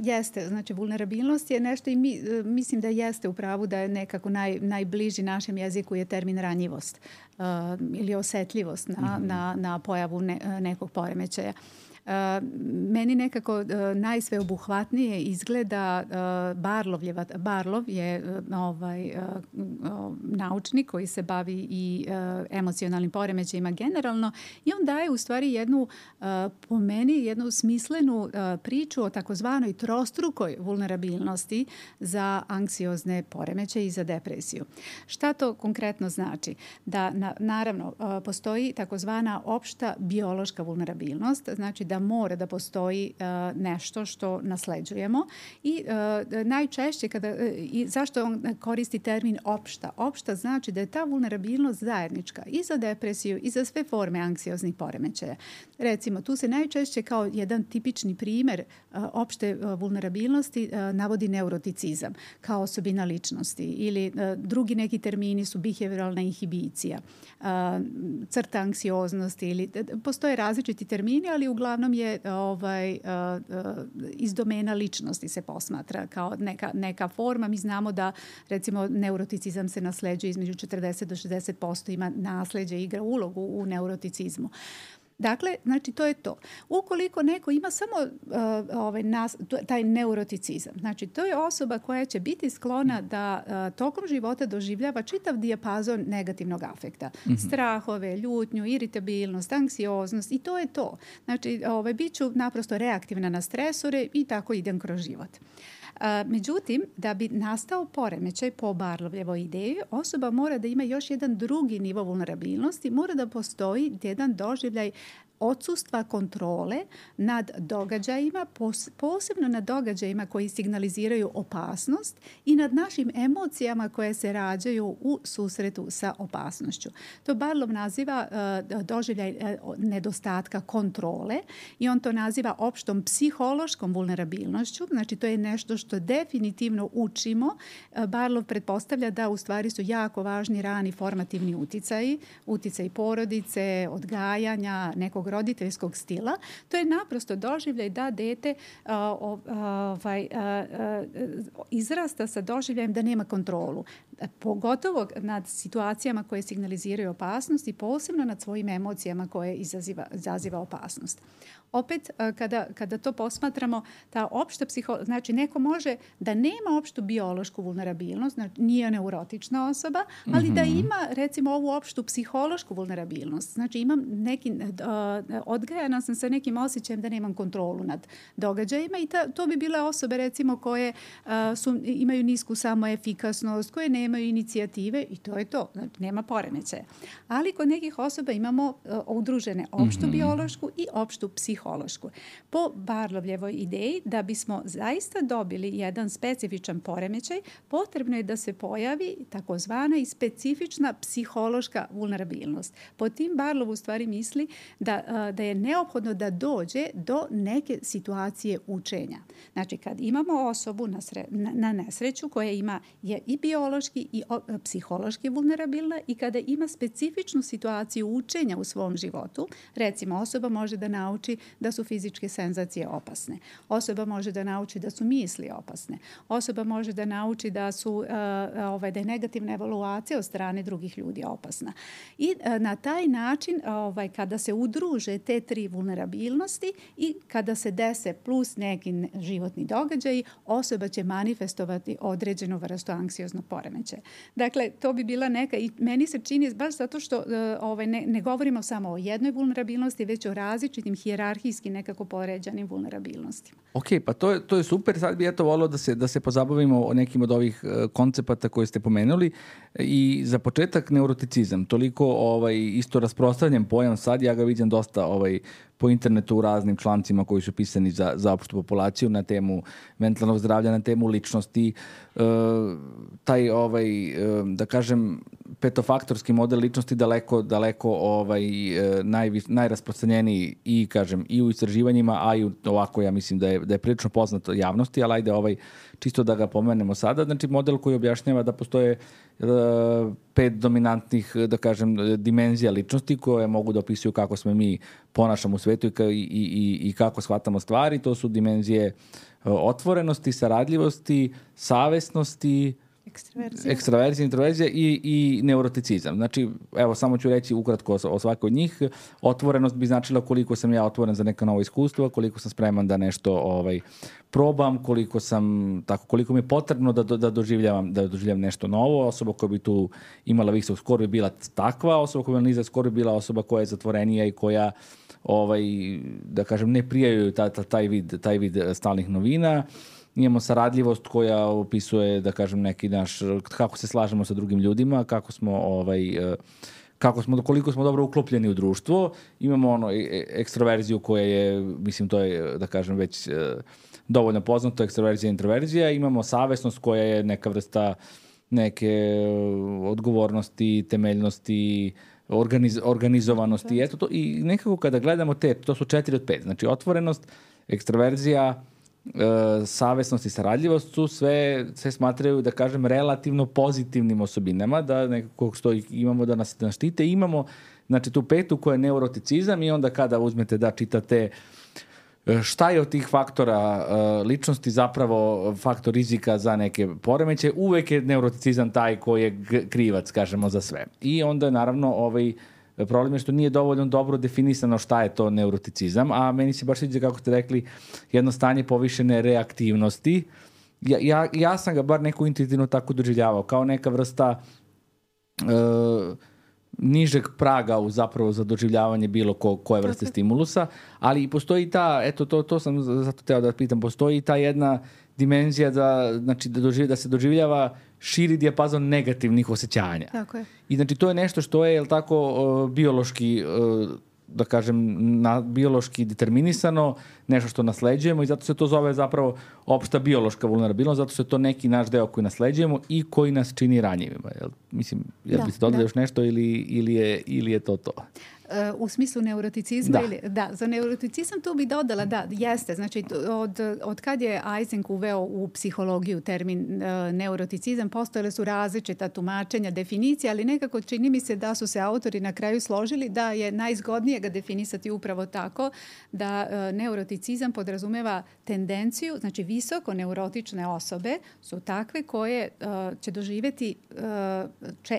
jeste. Znači, vulnerabilnost je nešto i mislim da jeste u pravu da je nekako najbliži našem jeziku je termin ranjivost ili osetljivost na pojavu nekog poremećaja. Meni nekako najsveobuhvatnije izgleda Barlov je naučnik koji se bavi i emocionalnim poremećajima generalno i on daje u stvari po meni jednu smislenu priču o takozvanoj trostrukoj vulnerabilnosti za anksiozne poremećaje i za depresiju. Šta to konkretno znači? Da naravno postoji takozvana opšta biološka vulnerabilnost, znači da mora da postoji nešto što nasleđujemo i najčešće zašto on koristi termin opšta? Opšta znači da je ta vulnerabilnost zajednička i za depresiju i za sve forme anksioznih poremećaja. Recimo, tu se najčešće kao jedan tipični primjer opšte vulnerabilnosti navodi neuroticizam kao osobina ličnosti ili drugi neki termini su behavioralna inhibicija, crta anksioznosti ili postoje različiti termini, ali uglavnom je iz domena ličnosti se posmatra kao neka forma. Mi znamo da recimo neuroticizam se nasleđuje između 40 do 60% ima nasleđe, igra ulogu u neuroticizmu. Dakle, znači to je to. Ukoliko neko ima samo taj neuroticizam, znači to je osoba koja će biti sklona da tokom života doživljava čitav dijapazon negativnog afekta. Strahove, ljutnju, iritabilnost, anksioznost i to je to. Znači, bit ću naprosto reaktivna na stresore i tako idem kroz život. Međutim, da bi nastao poremećaj po Barlovljevoj ideji, osoba mora da ima još jedan drugi nivo vulnerabilnosti, mora da postoji jedan doživljaj odsustva kontrole nad događajima, posebno nad događajima koji signaliziraju opasnost i nad našim emocijama koje se rađaju u susretu sa opasnošću. To Barlov naziva doživljaj nedostatka kontrole i on to naziva opštom psihološkom vulnerabilnošću. Znači to je nešto što definitivno učimo. Barlov pretpostavlja da u stvari su jako važni rani formativni uticaji, uticaj porodice, odgajanja, nekog roditeljskog stila. To je naprosto doživljaj da dete izrasta sa doživljajem da nema kontrolu. Pogotovo nad situacijama koje signaliziraju opasnost i posebno nad svojim emocijama koje izaziva opasnost. Opet, kada to posmatramo, ta opšta znači neko može da nema opštu biološku vulnerabilnost, znači nije neurotična osoba, ali da ima recimo ovu opštu psihološku vulnerabilnost. Znači odgajana sam sa nekim osjećajem da nemam kontrolu nad događajima i to bi bile osobe recimo koje imaju nisku samoefikasnost, koje nemaju inicijative i to je to. Znači, nema poremećaja. Ali kod nekih osoba imamo udružene opštu biološku i opštu psihološku. Po Barlovljevoj ideji, da bismo zaista dobili jedan specifičan poremećaj, potrebno je da se pojavi takozvana i specifična psihološka vulnerabilnost. Po tim Barlov u stvari misli da je neophodno da dođe do neke situacije učenja. Znači, kad imamo osobu na nesreću koja je i biološki i psihološki vulnerabilna i kada ima specifičnu situaciju učenja u svom životu, recimo osoba može da nauči da su fizičke senzacije opasne. Osoba može da nauči da su misli opasne. Osoba može da nauči da je negativna evaluacija od strane drugih ljudi opasna. I na taj način, kada se udruže te tri vulnerabilnosti i kada se dese plus neki životni događaji, osoba će manifestovati određenu vrstu anksioznog poremećaja. Dakle, to bi bila neka, i meni se čini baš zato što ne govorimo samo o jednoj vulnerabilnosti, već o različitim hijerarhijski nekako poređanim vulnerabilnostima. Ok, pa to je super. Sad bi volio da se pozabavimo o nekim od ovih koncepata koje ste pomenuli. I za početak neuroticizam. Toliko isto rasprostranjen pojam sad, ja ga vidim dosta po internetu u raznim člancima koji su pisani za opštu populaciju na temu mentalnog zdravlja, na temu ličnosti. Taj, da kažem, petofaktorski model ličnosti daleko najrasprostranjeniji i, kažem, i u istraživanjima, a i ovako ja mislim da je prilično poznato javnosti, ali ajde čisto da ga pomenemo sada. Znači, model koji objašnjava da postoje 5 dominantnih, da kažem, dimenzija ličnosti koje mogu da opisuju kako smo mi ponašamo u svetu i kako shvatamo stvari. To su dimenzije otvorenosti, saradljivosti, savesnosti, ekstraverzija, introverzija i neuroticizam. Znači, evo, samo ću reći ukratko o svakoj od njih. Otvorenost bi značila koliko sam ja otvoren za neka nova iskustva, koliko sam spreman da nešto probam, koliko mi je potrebno da doživljavam nešto novo. Osoba koja bi tu imala visok skor bi bila takva, osoba koja bi imala nizak skor bi bila osoba koja je zatvorenija i koja da kažem, ne prijaju taj vid stalnih novina. Imamo saradljivost koja opisuje, da kažem, neki naš, kako se slažemo sa drugim ljudima, koliko smo dobro uklopljeni u društvo. Imamo ekstroverziju koja je, mislim, to je, da kažem, već dovoljno poznato, ekstroverzija i introverzija. Imamo savesnost koja je neka vrsta neke odgovornosti, temeljnosti, organizovanosti. Eto to, i nekako kada gledamo to su 4 od 5. Znači, otvorenost, ekstroverzija, savesnost i saradljivost su sve smatraju, da kažem, relativno pozitivnim osobinama, da nekako imamo da nas štite. Imamo, znači, tu 5 koja je neuroticizam i onda kada uzmete da čitate šta je od tih faktora ličnosti zapravo faktor rizika za neke poremeće, uvek je neuroticizam taj koji je krivac, kažemo, za sve. I onda naravno Problem je što nije dovoljno dobro definisano šta je to neuroticizam, a meni se baš sviđa kako ste rekli jedno stanje povišene reaktivnosti. Ja sam ga bar neku intuitivno tako doživljavao, kao neka vrsta nižeg praga zapravo za doživljavanje bilo koje vrste stimulusa, ali i postoji to sam zato teo da pitam, postoji ta jedna dimenzija da se doživljava širi dijapazon negativnih osjećanja. Tako je. I znači to je nešto što je biološki da kažem, biološki determinisano, nešto što nasleđujemo i zato se to zove zapravo opšta biološka vulnerabilnost, zato što je to neki naš deo koji nasleđujemo i koji nas čini ranjivima. Mislim, biste dodali još nešto ili je to? U smislu neuroticizma? Za neuroticizam tu bi dodala, jeste. Znači, od kad je Eysenck uveo u psihologiju termin neuroticizam, postojale su različita tumačenja, definicije, ali nekako čini mi se da su se autori na kraju složili da je najzgodnije ga definisati upravo tako da neuroticizam podrazumeva tendenciju, znači visoko neurotične osobe su takve koje će doživjeti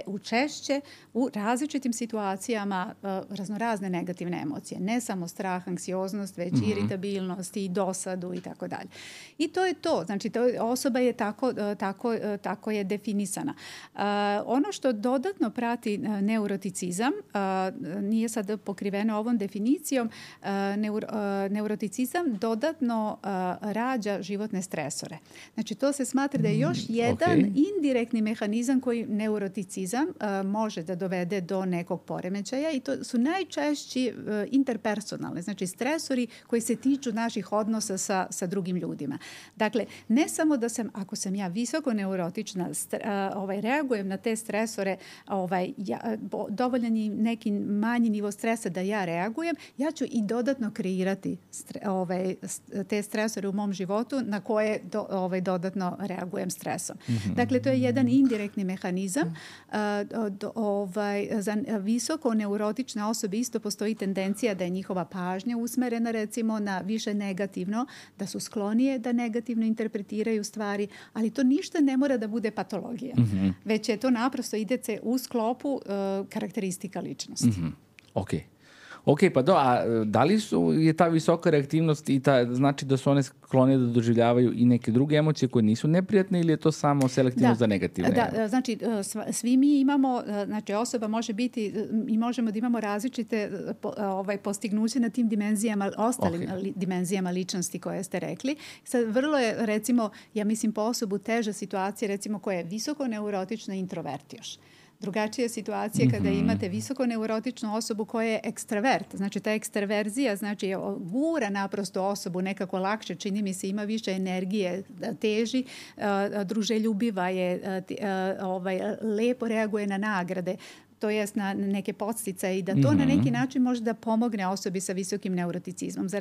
učešće u različitim situacijama raznorazne negativne emocije. Ne samo strah, anksioznost, već iritabilnost i dosadu i tako dalje. I to je to. Znači, osoba je tako je definisana. Ono što dodatno prati neuroticizam, nije sad pokriveno ovom definicijom, neuroticizam dodatno rađa životne stresore. Znači, to se smatra da je još jedan indirektni mehanizam koji neuroticizam može da dovede do nekog poremećaja i to su najčešći interpersonalni, znači stresori koji se tiču naših odnosa sa drugim ljudima. Dakle, ne samo da ako sam ja visoko neurotična, reagujem na te stresore, dovoljan je neki manji nivo stresa da ja reagujem, ja ću i dodatno kreirati te stresore u mom životu na koje dodatno reagujem stresom. Dakle, to je jedan indirektni mehanizam. Za visoko neurotične osobe isto postoji tendencija da je njihova pažnja usmerena recimo na više negativno, da su sklonije da negativno interpretiraju stvari, ali to ništa ne mora da bude patologija. Već je to naprosto ide se u sklopu karakteristika ličnosti. Ok, pa da li je ta visoka reaktivnost i znači da su one sklonije da doživljavaju i neke druge emocije koje nisu neprijatne ili je to samo selektivno za negativne? Da, znači svi mi imamo, znači osoba može biti i možemo da imamo različite postignuće na tim dimenzijama, ostalim dimenzijama ličnosti koje ste rekli. Sad vrlo je recimo, ja mislim po osobu teža situacija recimo koja je visoko neurotična i introvert još. Drugačija situacija kada imate visoko neurotičnu osobu koja je ekstravert. Znači ta ekstraverzija znači gura naprosto osobu nekako lakše, čini mi se ima više energije, teži, druželjubiva je, lepo reaguje na nagrade. To jest na neke podsticaje i da to na neki način može da pomogne osobi sa visokim neuroticizmom. Za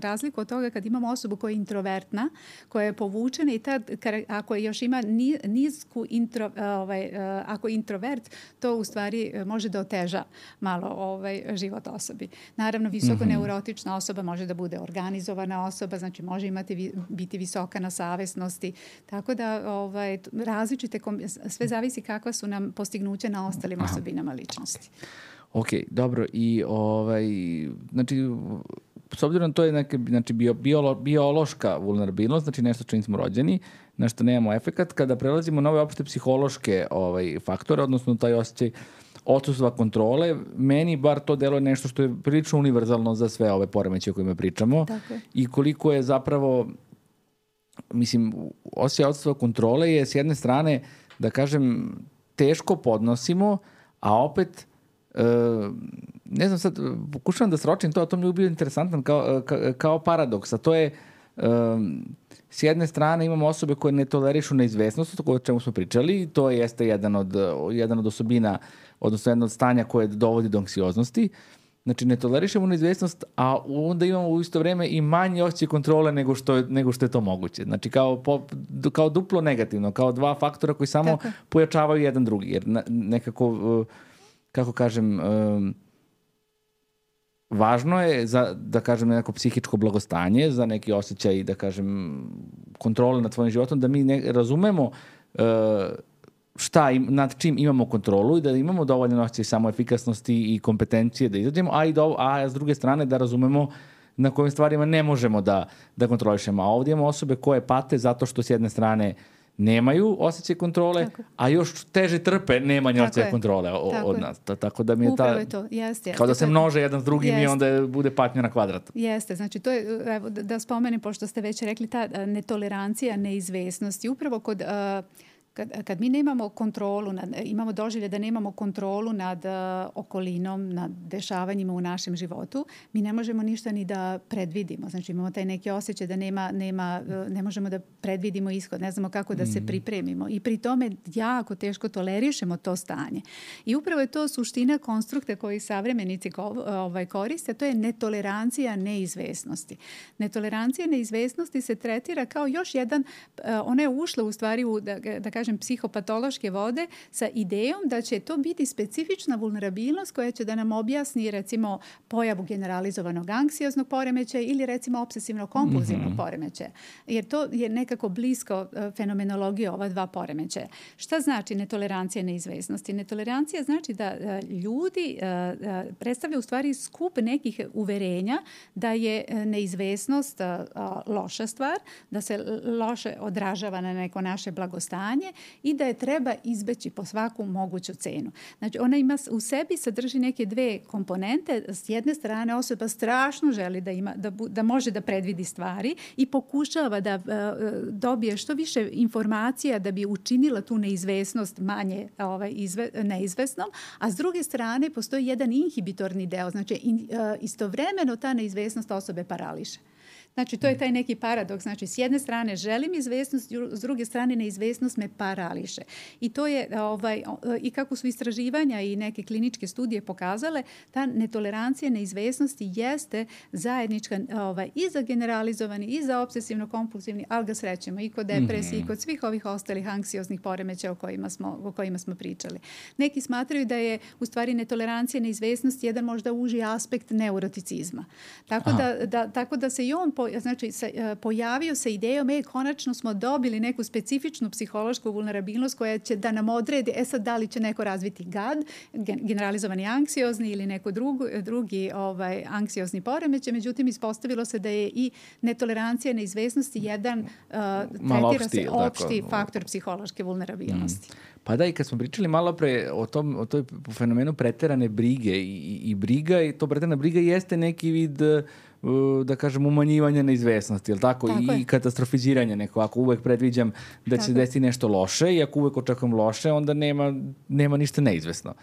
razliku od toga kad imamo osobu koja je introvertna, koja je povučena i tad ako još ima nisku ako je introvert, to u stvari može da oteža malo život osobi. Naravno, visoko neurotična osoba može da bude organizovana osoba, znači može biti visoka na savesnosti. Tako da različite, sve zavisi kakva su nam postignuća na ostalim osobinama ličnosti. Ok, dobro. I znači, s obzirom to je neka biološka vulnerabilnost, znači nešto čim smo rođeni, na što nemamo efekat, kada prelazimo na ove opšte psihološke faktore, odnosno taj osjećaj odsustva kontrole, meni bar to deluje nešto što je prilično univerzalno za sve ove poremećaje o kojima pričamo. Tako je. I koliko je zapravo, mislim, osjećaj odsustva kontrole je s jedne strane, da kažem, teško podnosimo, a opet ne znam sad, pokušavam da sročim to mi je bio interesantan kao paradoks, a to je s jedne strane imamo osobe koje ne tolerišu neizvesnost, o čemu smo pričali, to jeste jedan od osobina, odnosno jedno od stanja koje dovodi do anksioznosti. Znači, ne tolerišemo neizvesnost, a onda imamo u isto vreme i manje osjećaj kontrole nego što je to moguće. Znači, kao duplo negativno, kao dva faktora koji samo pojačavaju jedan drugi. Jer nekako, kako kažem, važno je za, da kažem, neko psihičko blagostanje, za neki osjećaj, da kažem, kontrole nad svojim životom, da mi razumemo nad čim imamo kontrolu i da imamo dovoljno osjećaj samoefikasnosti i kompetencije da izađemo, a s druge strane da razumemo na kojim stvarima ne možemo da kontrolišemo. A ovdje imamo osobe koje pate zato što s jedne strane nemaju osjećaj kontrole, a još teže trpe nemanje osjećaja kontrole od nas. Tako da mi je upravo je to. Jeste. Kao da se množe jedan s drugim i onda bude patnja na kvadrat. Jeste, znači to je, evo, da spomenem, pošto ste već rekli, ta netolerancija neizvesnosti. Upravo kad mi nemamo kontrolu, imamo doživlje da nemamo kontrolu nad okolinom, nad dešavanjima u našem životu, mi ne možemo ništa ni da predvidimo. Znači imamo taj neki osjećaj da ne možemo da predvidimo ishod, ne znamo kako da se pripremimo i pri tome jako teško tolerišemo to stanje. I upravo je to suština konstrukta koji savremenici koriste, to je netolerancija neizvesnosti. Netolerancija neizvesnosti se tretira kao još jedan, ona je ušla u stvari u, da kažem, psihopatološke vode sa idejom da će to biti specifična vulnerabilnost koja će da nam objasni recimo pojavu generalizovanog anksioznog poremećaja ili recimo obsesivno-kompulzivnog poremećaja. Jer to je nekako blisko fenomenologiji ova dva poremećaja. Šta znači netolerancija neizvesnosti? Netolerancija znači da ljudi predstavlja u stvari skup nekih uverenja da je neizvesnost loša stvar, da se loše odražava na neko naše blagostanje i da je treba izbeći po svaku moguću cenu. Znači, ona ima u sebi sadrži neke dve komponente. S jedne strane, osoba strašno želi da može da predvidi stvari i pokušava da dobije što više informacija da bi učinila tu neizvesnost manje neizvesnom, a s druge strane postoji jedan inhibitorni deo. Znači, istovremeno ta neizvesnost osobe parališe. Znači, to je taj neki paradoks. Znači, s jedne strane želim izvesnost, s druge strane neizvesnost me parališe. I to je, i kako su istraživanja i neke kliničke studije pokazale, ta netolerancija neizvesnosti jeste zajednička i za generalizovani, i za obsesivno-kompulsivni, ali ga srećemo i kod depresije, i kod svih ovih ostalih anksioznih poremećaja o kojima smo pričali. Neki smatraju da je, u stvari, netolerancija neizvesnosti jedan možda uži aspekt neuroticizma. Tako da se i on pojavio se idejom, konačno smo dobili neku specifičnu psihološku vulnerabilnost koja će da nam odredi, sad da li će neko razviti GAD, generalizovani anksiozni ili neko drugi anksiozni poremećaj. Međutim, ispostavilo se da je i netolerancija neizvesnosti jedan opšti faktor psihološke vulnerabilnosti. Pa da, i kad smo pričali malo pre o toj fenomenu preterane brige i briga, i to preterana briga jeste neki vid, da kažem, umanjivanja neizvesnosti, jel tako? I katastrofiziranja neko. Ako uvek predviđam da će se desiti nešto loše i ako uvek očekujem loše, onda nema ništa neizvesno.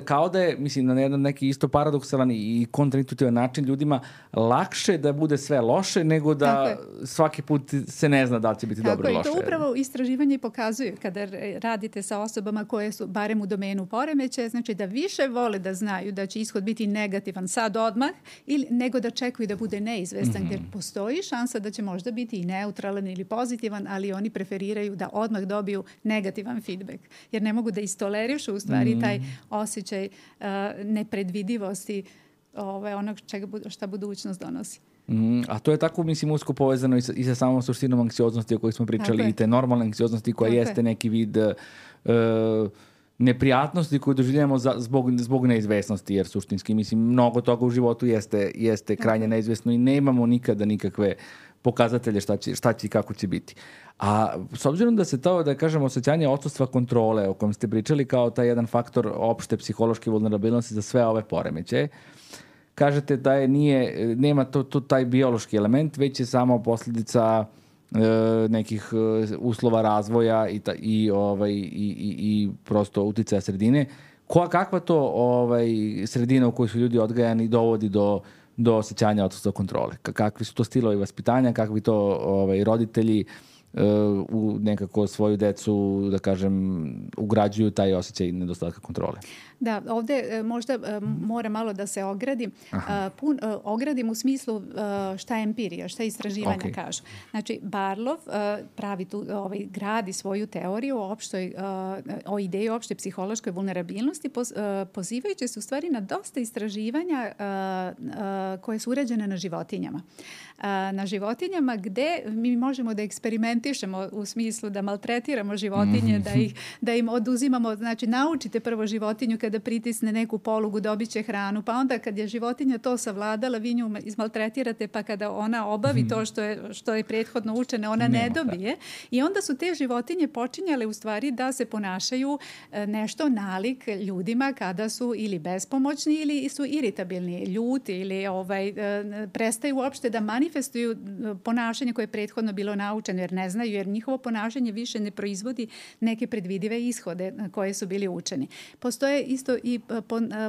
Kao da je, mislim, na jedan neki isto paradoksalan i kontraintuitivan način ljudima lakše da bude sve loše nego da svaki put se ne zna da li će biti dobro ili loše. I to upravo istraživanje pokazuju kada radite sa osobama koje su barem u domenu poremećaja, znači da više vole da znaju da će ishod biti negativan sad odmah nego da čekaju i da bude neizvestan, gdje postoji šansa da će možda biti i neutralan ili pozitivan, ali oni preferiraju da odmah dobiju negativan feedback. Jer ne mogu da istolerišu u stvari taj osjećaj nepredvidivosti onog šta budućnost donosi. A to je tako, mislim, usko povezano i sa samom suštinom anksioznosti o kojoj smo pričali, i te normalne anksioznosti koja jeste neki vid neprijatnosti koju doživljamo zbog neizvesnosti, jer suštinski, mislim, mnogo toga u životu jeste krajnje neizvesno i nemamo nikada nikakve pokazatelje šta će i kako će biti. A s obzirom da se to, da kažemo, osjećanje odsustva kontrole o kojem ste pričali kao taj jedan faktor opšte psihološke vulnerabilnosti za sve ove poremećaje, kažete da nema taj biološki element, već je samo posljedica nekih uslova razvoja i prosto uticaja sredine. Kakva to sredina u kojoj su ljudi odgajani dovodi do osjećanja odsustva kontrole? Kakvi su to stilovi vaspitanja, kakvi to roditelji u nekako svoju decu, da kažem, ugrađuju taj osjećaj nedostatka kontrole? Da, ovdje možda mora malo da se ogradim. Ogradim u smislu šta je empirija, šta istraživanja kažu. Znači, Barlov pravi tu, gradi svoju teoriju o ideji opšte psihološkoj vulnerabilnosti, pozivajući se u stvari na dosta istraživanja koje su urađene na životinjama. Na životinjama gde mi možemo da eksperimentiramo utišemo u smislu da maltretiramo životinje, da im oduzimamo, znači naučite prvo životinju kada pritisne neku polugu dobit će hranu, pa onda kad je životinja to savladala, vi nju izmaltretirate, pa kada ona obavi to što je prethodno učene, ona ne dobije. I onda su te životinje počinjale u stvari da se ponašaju nešto nalik ljudima kada su ili bespomoćni ili su iritabilni, ljuti ili prestaju uopšte da manifestuju ponašanje koje je prethodno bilo naučeno jer ne znaju, jer njihovo ponašanje više ne proizvodi neke predvidive ishode koje su bili učeni. Postoje isto i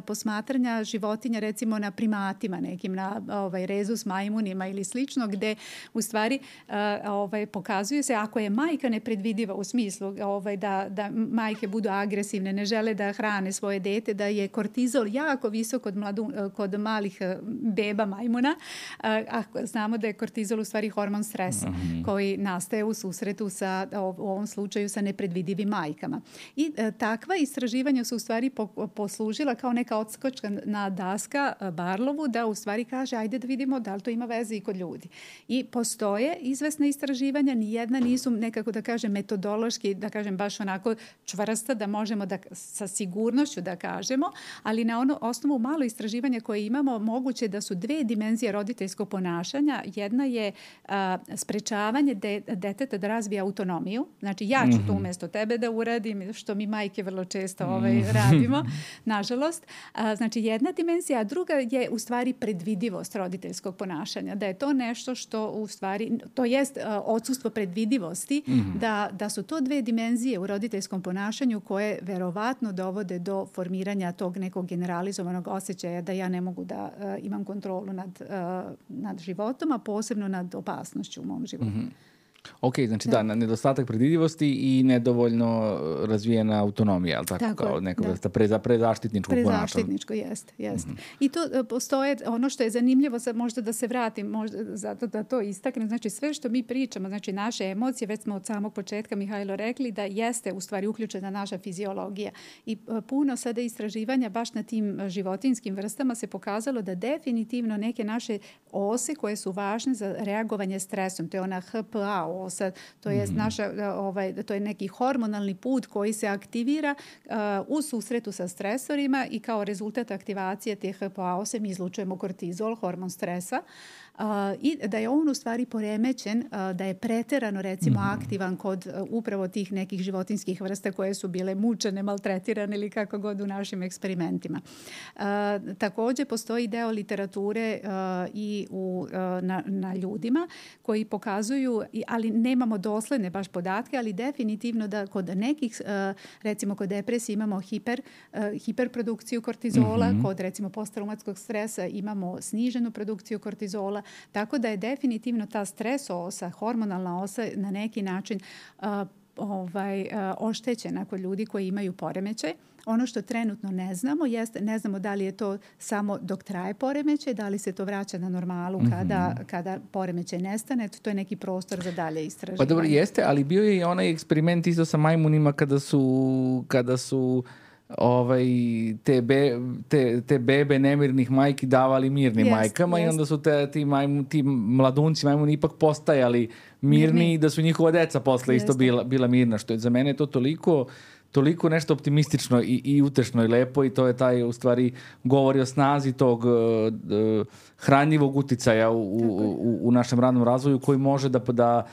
posmatranja životinja recimo na primatima nekim, na rezus majmunima ili slično, gde u stvari pokazuje se ako je majka nepredvidiva u smislu da majke budu agresivne, ne žele da hrane svoje dete, da je kortizol jako visok kod malih beba majmuna, a znamo da je kortizol u stvari hormon stresa koji nastaje u susretu sa, u ovom slučaju, sa nepredvidivim majkama. I takva istraživanja su u stvari poslužila kao neka odskočna daska Barlovu da u stvari kaže ajde da vidimo da li to ima veze i kod ljudi. I postoje izvesne istraživanja, nijedna nisu nekako da kažem metodološki, da kažem baš onako čvrsta da možemo da sa sigurnošću da kažemo, ali na osnovu malo istraživanja koje imamo moguće da su dve dimenzije roditeljskog ponašanja. Jedna je sprečavanje deteta da razvije autonomiju. Znači ja ću to umjesto tebe da uradim, što mi majke vrlo često radimo, nažalost. Znači jedna dimenzija, a druga je u stvari predvidivost roditeljskog ponašanja. Da je to nešto što u stvari, to jest odsustvo predvidivosti, da su to dve dimenzije u roditeljskom ponašanju koje verovatno dovode do formiranja tog nekog generalizovanog osjećaja da ja ne mogu da imam kontrolu nad životom, a posebno nad opasnošću u mom životu. Ok, znači da, nedostatak predvidivosti i nedovoljno razvijena autonomija, ali tako kao neka vrsta prezaštitničkog ponašanja. Prezaštitničko, jeste. I to postoje, ono što je zanimljivo, sad možda da se vratim, možda zato da to istaknem, znači sve što mi pričamo, znači naše emocije, već smo od samog početka, Mihajlo, rekli da jeste u stvari uključena naša fiziologija. I puno sada istraživanja baš na tim životinjskim vrstama se pokazalo da definitivno neke naše ose koje su važne za reagovanje stresom, to je ona HPA osa, to je to je neki hormonalni put koji se aktivira u susretu sa stresorima i kao rezultat aktivacije te HPA ose mi izlučujemo kortizol, hormon stresa. I da je on u stvari poremećen, da je preterano recimo aktivan kod upravo tih nekih životinjskih vrsta koje su bile mučene, maltretirane ili kako god u našim eksperimentima. Također postoji deo literature i na ljudima koji pokazuju, ali nemamo dosledne baš podatke, ali definitivno da kod nekih, recimo kod depresije imamo hiperprodukciju kortizola, kod recimo posttraumatskog stresa imamo sniženu produkciju kortizola. Tako da je definitivno ta stres osa, hormonalna osa na neki način oštećena kod ljudi koji imaju poremećaj. Ono što trenutno ne znamo jeste, ne znamo da li je to samo dok traje poremećaj, da li se to vraća na normalu kada poremećaj nestane. To je neki prostor za dalje istraživanje. Pa dobro, jeste, ali bio je i onaj eksperiment isto sa majmunima kada su te bebe nemirnih majki davali mirnim majkama i onda su ti mladunci majmuni ipak postajali mirni i da su njihova deca posle isto bila mirna, što je za mene to toliko nešto optimistično i utešno i lepo i to je taj, u stvari, govori o snazi tog hranjivog uticaja u našem radnom razvoju koji može da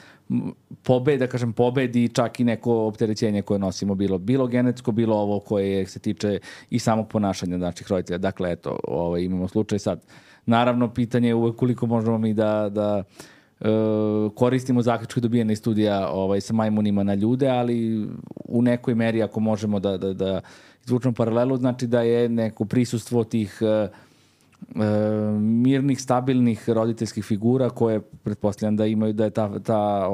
pobedi čak i neko opterećenje koje nosimo, bilo genetsko, bilo ovo koje se tiče i samog ponašanja naših roditelja. Dakle, eto, imamo slučaj sad. Naravno, pitanje je uvek koliko možemo mi da koristimo zaključke dobijene iz studija sa majmunima na ljude, ali u nekoj meri ako možemo da izvučemo paralelu, znači da je neko prisustvo tih mirnih, stabilnih roditeljskih figura koje pretpostavljam da imaju, da je ta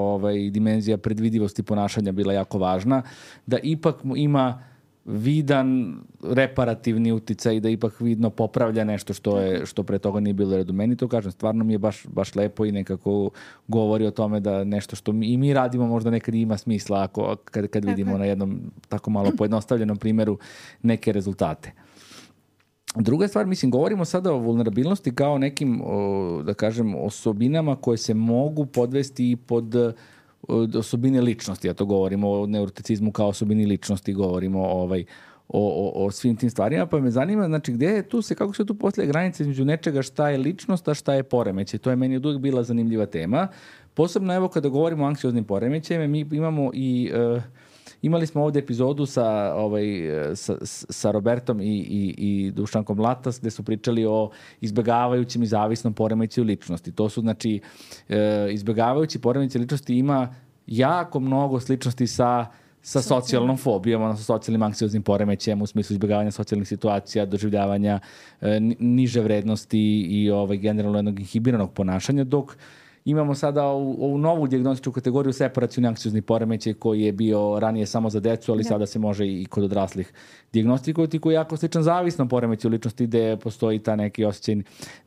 dimenzija predvidivosti ponašanja bila jako važna, da ipak ima vidan reparativni uticaj, da ipak vidno popravlja nešto što pre toga nije bilo redu. Meni to, kažem, stvarno mi je baš lepo i nekako govori o tome da nešto što i mi radimo možda nekad ima smisla kad vidimo na jednom tako malo pojednostavljenom primjeru neke rezultate. Druga stvar, mislim, govorimo sada o vulnerabilnosti kao nekim, da kažem, osobinama koje se mogu podvesti i pod osobine ličnosti, ja to govorimo o neuroticizmu kao osobini ličnosti, govorimo o svim tim stvarima, pa me zanima, znači, kako se tu postavlja granica između nečega šta je ličnost, a šta je poremećaj. To je meni od uvijek bila zanimljiva tema. Posebno, evo, kada govorimo o anksioznim poremećajima, mi imamo i... Imali smo ovdje epizodu sa Robertom i Dušankom Latas, gde su pričali o izbjegavajućim i zavisnom poremećaju ličnosti. To su, znači, izbjegavajući poremećaj ličnosti ima jako mnogo sličnosti sa socijalnom fobijom, odnosno socijalnim anksioznim poremećajem u smislu izbjegavanja socijalnih situacija, doživljavanja niže vrednosti i generalno jednog inhibiranog ponašanja, dok imamo sada ovu novu dijagnostičku kategoriju separacioni anksiozni poremećaj koji je bio ranije samo za decu, ali sada se može i kod odraslih dijagnostikovati, koji je jako sličan zavisnom poremećaju ličnosti gde postoji ta neki osjećaj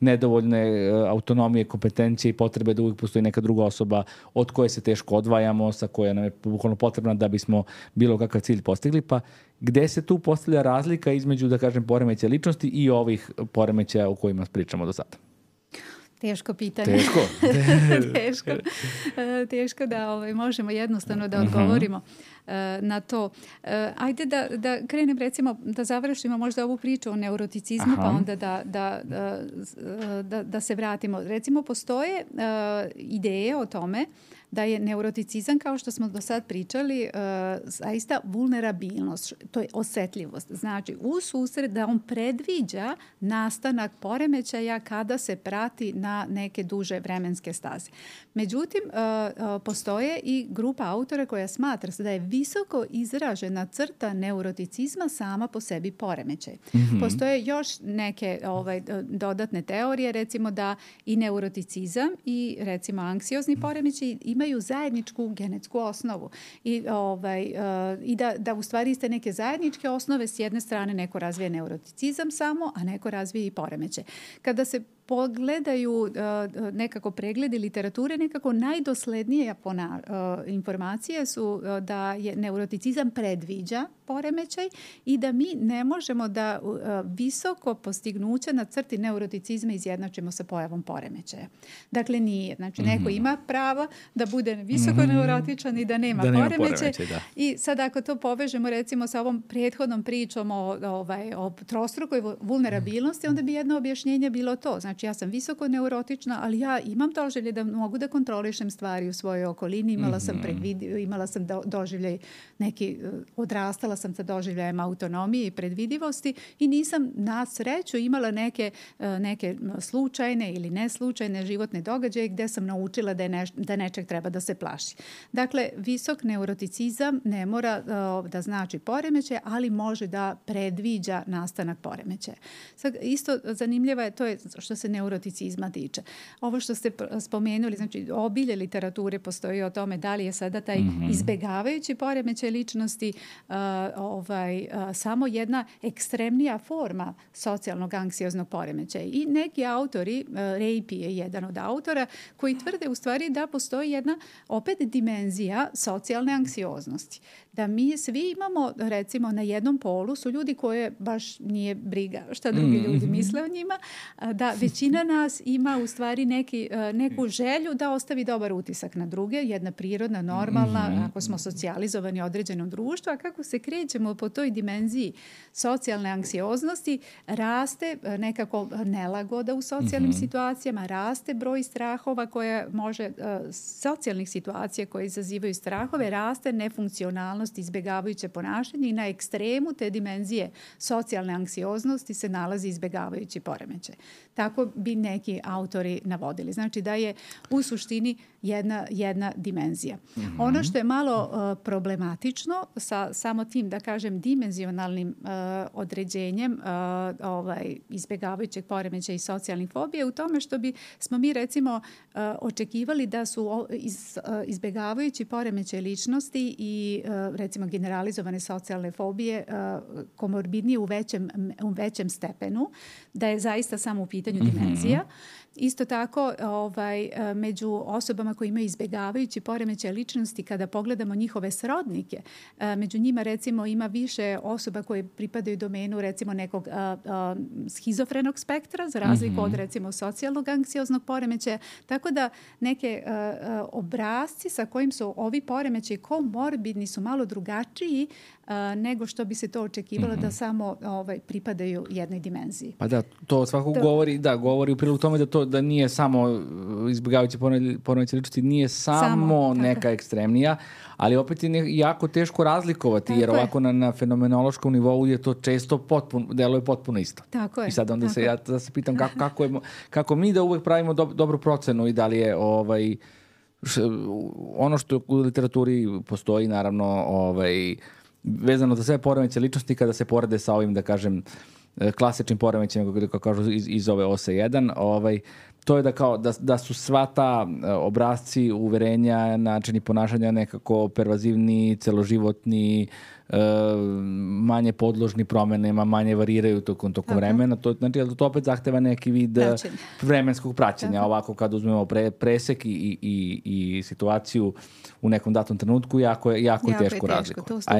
nedovoljne autonomije, kompetencije i potrebe da uvijek postoji neka druga osoba od koje se teško odvajamo, sa koja nam je bukvalno potrebna da bismo bilo kakav cilj postigli. Pa gde se tu postavlja razlika između, da kažem, poremećaja ličnosti i ovih poremećaja o kojima pričamo do sada? Teško pitanje. Teško da možemo jednostavno da odgovorimo na to. Ajde da krenem, recimo, da završimo možda ovu priču o neuroticizmu, pa onda da se vratimo. Recimo, postoje ideje o tome da je neuroticizam, kao što smo do sad pričali, zaista vulnerabilnost, to je osjetljivost. Znači, u susret da on predviđa nastanak poremećaja kada se prati na neke duže vremenske staze. Međutim, postoje i grupa autora koja smatra da je visoko izražena crta neuroticizma sama po sebi poremećaj. Postoje još neke dodatne teorije, recimo da i neuroticizam i recimo anksiozni poremećaj imaju zajedničku genetsku osnovu i da u stvari iste neke zajedničke osnove. S jedne strane neko razvije neuroticizam samo, a neko razvije i poremećaj. Kada se pogledaju nekako pregledi literature, nekako najdoslednije informacije su da je neuroticizam predviđa poremećaj i da mi ne možemo da visoko postignuće na crti neuroticizma izjednačimo sa pojavom poremećaja. Dakle, nije. Znači, neko ima pravo da bude visoko neurotičan i da nema poremećaj. I sad ako to povežemo recimo sa ovom prethodnom pričom o trostrukoj vulnerabilnosti, onda bi jedno objašnjenje bilo to. Znači, ja sam visoko neurotična, ali ja imam doživljaj da mogu da kontrolišem stvari u svojoj okolini. Imala sam doživljaj neki, odrastala sam sa doživljajem autonomije i predvidivosti i nisam na sreću imala neke slučajne ili neslučajne životne događaje gdje sam naučila da nečeg treba da se plaši. Dakle, visok neuroticizam ne mora da znači poremećaj, ali može da predviđa nastanak poremećaja. Sad, isto zanimljivo je, to je što se neuroticizma tiče. Ovo što ste spomenuli, znači obilje literature postoji o tome da li je sada taj izbegavajući poremećaj ličnosti samo jedna ekstremnija forma socijalnog anksioznog poremećaja. I neki autori, Reipi je jedan od autora, koji tvrde u stvari da postoji jedna opet dimenzija socijalne anksioznosti. Da mi svi imamo, recimo, na jednom polu su ljudi koje baš nije briga šta drugi ljudi misle o njima, da većina nas ima u stvari neku želju da ostavi dobar utisak na druge, jedna prirodna, normalna, ako smo socijalizovani u određenom društvu, a kako se krećemo po toj dimenziji socijalne anksioznosti, raste nekako nelagoda u socijalnim situacijama, raste broj strahova koje može, socijalnih situacija koje izazivaju strahove, raste nefunkcionalnost, izbjegavajuće ponašanje i na ekstremu te dimenzije socijalne anksioznosti se nalazi izbjegavajući poremećaj. Tako bi neki autori navodili. Znači da je u suštini jedna dimenzija. Ono što je malo problematično sa samo tim, da kažem, dimenzionalnim određenjem izbjegavajućeg poremećaja i socijalnih fobija u tome što smo mi recimo očekivali da su izbjegavajući poremećaj ličnosti i recimo generalizovane socijalne fobije komorbidnije u većem stepenu, da je zaista samo u pitanju dimenzija. Isto tako, među osobama koji imaju izbjegavajući poremećaj ličnosti, kada pogledamo njihove srodnike, među njima recimo ima više osoba koje pripadaju domenu recimo nekog schizofrenog spektra, za razliku od recimo socijalnog anksioznog poremećaja, tako da neke obrasci sa kojim su ovi poremećaji komorbidni su malo drugačiji nego što bi se to očekivalo da samo pripadaju jednoj dimenziji. Pa da, to svakako govori u prilog tome da nije samo izbjegavajući poremećaj ličnosti, nije samo neka ekstremnija, ali opet je jako teško razlikovati, jer ovako na fenomenološkom nivou je to često deluje potpuno isto. Tako je. I sad onda ja se pitam kako mi da uvek pravimo dobru procenu i da li je ono što u literaturi postoji, naravno, vezano za sve poremećaje ličnosti, kada se porede sa ovim, da kažem, klasičnim poremećajima, kako kažu iz ove OSE 1, to je da su sva ta obrasci, uverenja, načini ponašanja nekako pervazivni, celoživotni, manje podložni promenama, manje variraju tokom vremena. To opet zahteva neki vid vremenskog praćenja. Ovako kad uzmemo presek i situaciju u nekom datom trenutku, jako je teško razlikovati. A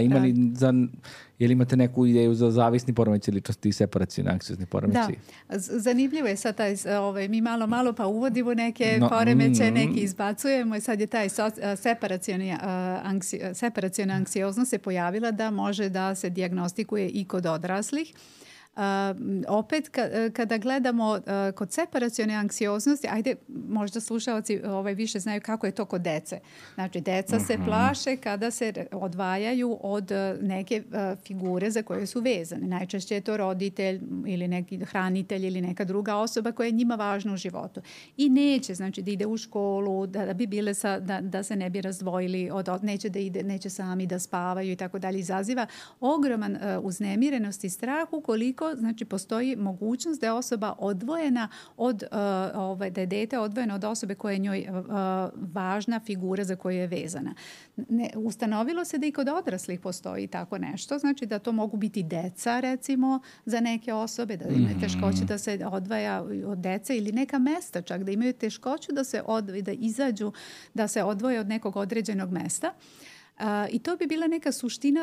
je li imate neku ideju za zavisni poremećaj ličnosti i separacioni anksiozni poremećaj? Da, zanimljivo je sad taj, mi malo pa uvodimo neke poremećaje, neki izbacujemo i sad je taj separaciona anksioznost se pojavila da može da se dijagnostikuje i kod odraslih. Opet kada gledamo kod separacione anksioznosti, ajde možda slušalci više znaju kako je to kod dece. Znači deca se plaše kada se odvajaju od neke figure za koje su vezane. Najčešće je to roditelj ili neki hranitelj ili neka druga osoba koja je njima važna u životu. I neće, znači da ide u školu, da bi bile da se ne bi razdvojili, neće sami da spavaju i tako dalje. Izaziva ogroman uznemirenost i strah ukoliko znači postoji mogućnost da je osoba odvojena da je dete odvojeno od osobe koja je njoj važna figura za koju je vezana. Ustanovilo se da i kod odraslih postoji tako nešto, znači da to mogu biti deca recimo za neke osobe, da imaju teškoće da se odvaja od dece ili neka mesta čak, da imaju teškoću da izađu, da se odvoje od nekog određenog mesta. I to bi bila neka suština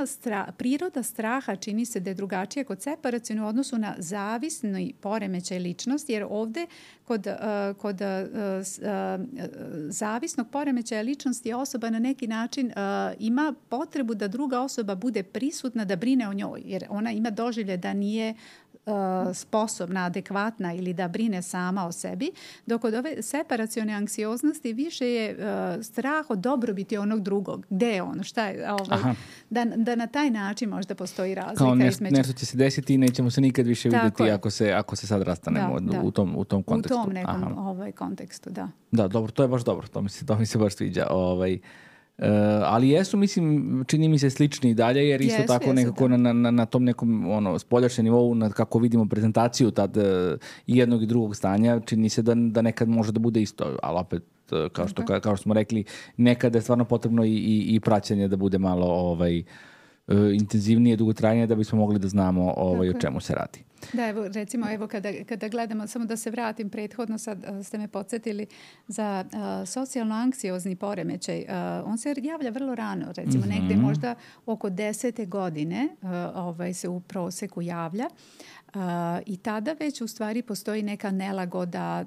priroda straha, čini se da je drugačija kod separacione u odnosu na zavisni poremećaj ličnosti, jer ovdje kod zavisnog poremećaja ličnosti osoba na neki način ima potrebu da druga osoba bude prisutna, da brine o njoj, jer ona ima doživlje da nije sposobna, adekvatna ili da brine sama o sebi, dok od ove separacione anksioznosti više je strah od dobrobiti onog drugog. Gde je ono? Šta je? Da na taj način možda postoji razlika. Kao nešto će se desiti i nećemo se nikad više vidjeti ako se sad rastanemo u tom kontekstu. U tom nekom kontekstu, da. Da, dobro, to je baš dobro. To mi se baš sviđa. Ali jesu, mislim, čini mi se slični i dalje, jer isto tako nekako na tom nekom spoljašnjem nivou, kako vidimo prezentaciju tad i jednog i drugog stanja, čini se da nekad može da bude isto, ali opet, kao što smo rekli, nekada je stvarno potrebno i praćenje da bude malo intenzivnije, dugotrajnije, da bismo mogli da znamo o čemu se radi. Da, recimo, kada gledamo, samo da se vratim prethodno, sad ste me podsjetili za socijalno-anksiozni poremećaj. On se javlja vrlo rano, recimo negdje možda oko 10. godine se u proseku javlja. I tada već u stvari postoji neka nelagoda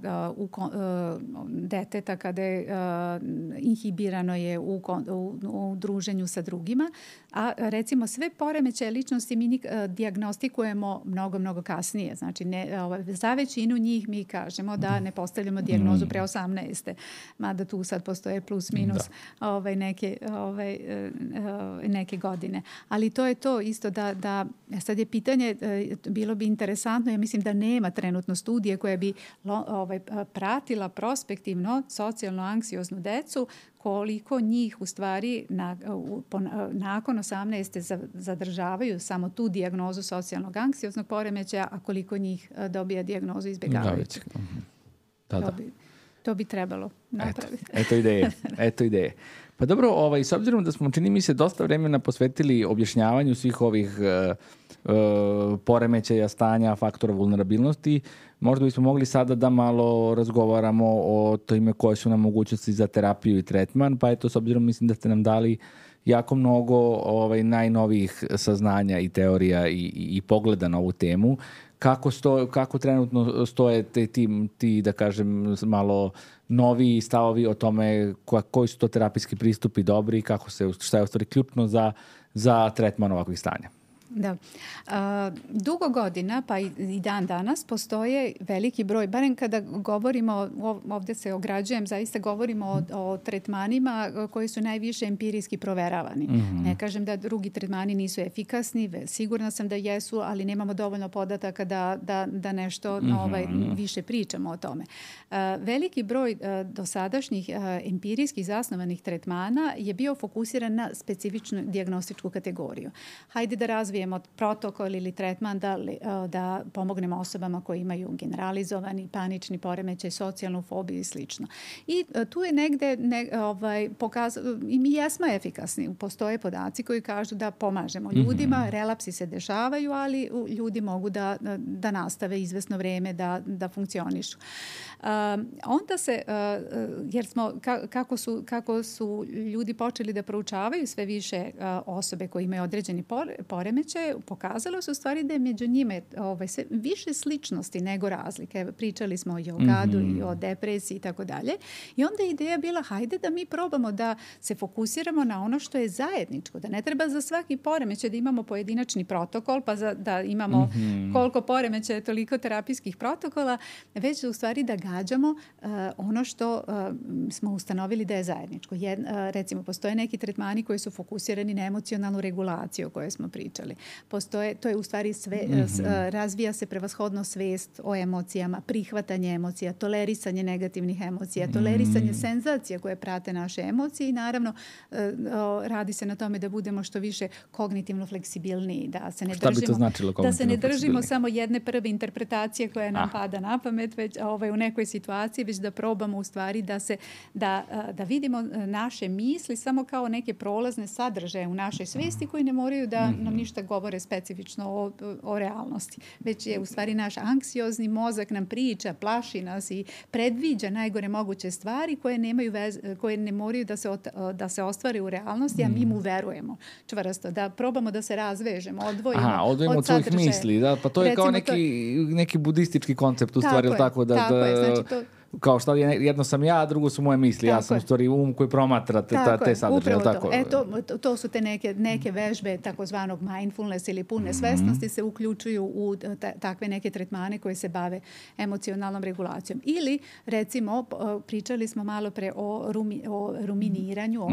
deteta kada je inhibirano je u druženju sa drugima, a recimo sve poremećaje ličnosti mi dijagnostikujemo mnogo kasnije. Znači za većinu njih mi kažemo da ne postavljamo dijagnozu pre 18. Mada tu sad postoje plus minus neke godine. Ali to je to isto da sad je pitanje, bilo bi interesantno, ja mislim da nema trenutno studije koja bi pratila prospektivno socijalno-anksioznu decu, koliko njih u stvari nakon 18. zadržavaju samo tu dijagnozu socijalnog anksioznog poremećaja, a koliko njih dobija dijagnozu izbjegavajućeg. To bi trebalo napraviti. Eto ideje. Pa dobro, s obzirom da smo, čini mi se, dosta vremena posvetili objašnjavanju svih ovih poremećaja, stanja, faktora vulnerabilnosti, možda bismo mogli sada da malo razgovaramo o tome koje su nam mogućnosti za terapiju i tretman, pa eto, s obzirom mislim da ste nam dali jako mnogo najnovijih saznanja i teorija i pogleda na ovu temu. Kako trenutno stoje ti, da kažem, malo novi stavovi o tome koji su to terapijski pristupi dobri i šta je u stvari ključno za tretman ovakvih stanja? Da. Dugo godina, pa i dan danas, postoje veliki broj, barem kada govorimo, ovdje se ograđujem, zaista govorimo o tretmanima koji su najviše empirijski proveravani. Ne kažem da drugi tretmani nisu efikasni, sigurna sam da jesu, ali nemamo dovoljno podataka da nešto više pričamo o tome. Veliki broj dosadašnjih empirijskih zasnovanih tretmana je bio fokusiran na specifičnu dijagnostičku kategoriju. Hajde da razvijemo protokol ili tretman da pomognemo osobama koji imaju generalizovani panični poremećaj, socijalnu fobiju i slično. I tu je negde i mi jesmo efikasni. Postoje podaci koji kažu da pomažemo ljudima, relapsi se dešavaju, ali ljudi mogu da nastave izvesno vreme da funkcionišu. Onda se, jer smo, kako su ljudi počeli da proučavaju sve više osobe koje imaju određeni poremećaj, pokazalo se u stvari da je među njima sve više sličnosti nego razlike. Pričali smo o jogadu i o depresiji i tako dalje. I onda je ideja bila, hajde da mi probamo da se fokusiramo na ono što je zajedničko, da ne treba za svaki poremećaj da imamo pojedinačni protokol, pa da imamo koliko poremećaja, toliko terapijskih protokola, već u stvari da gađamo ono što smo ustanovili da je zajedničko. Recimo, postoje neki tretmani koji su fokusirani na emocionalnu regulaciju o kojoj smo pričali. To je u stvari razvija se prevashodno svest o emocijama, prihvatanje emocija, tolerisanje negativnih emocija, tolerisanje senzacija koje prate naše emocije i naravno radi se na tome da budemo što više kognitivno fleksibilniji, da se ne držimo samo jedne prve interpretacije koja nam pada na pamet, već u nekoj situaciji, već da probamo u stvari da vidimo naše misli samo kao neke prolazne sadržaje u našoj svesti koji ne moraju da nam ništa govore specifično o realnosti. Već je u stvari naš anksiozni mozak nam priča, plaši nas i predviđa najgore moguće stvari koje ne moraju da se ostvare u realnosti, a mi mu verujemo čvrsto. Da probamo da se razvežemo, odvojimo od svojih misli. Da? Pa to je kao neki budistički koncept u stvari. Tako je. Znači to kao šta jedno sam ja, a drugo su moje misli. Ja sam u stvari koji promatra te sadržaje. To su te neke vežbe takozvanog mindfulness ili pune svesnosti se uključuju u takve neke tretmane koje se bave emocionalnom regulacijom. Ili, recimo, pričali smo malo pre o ruminiranju,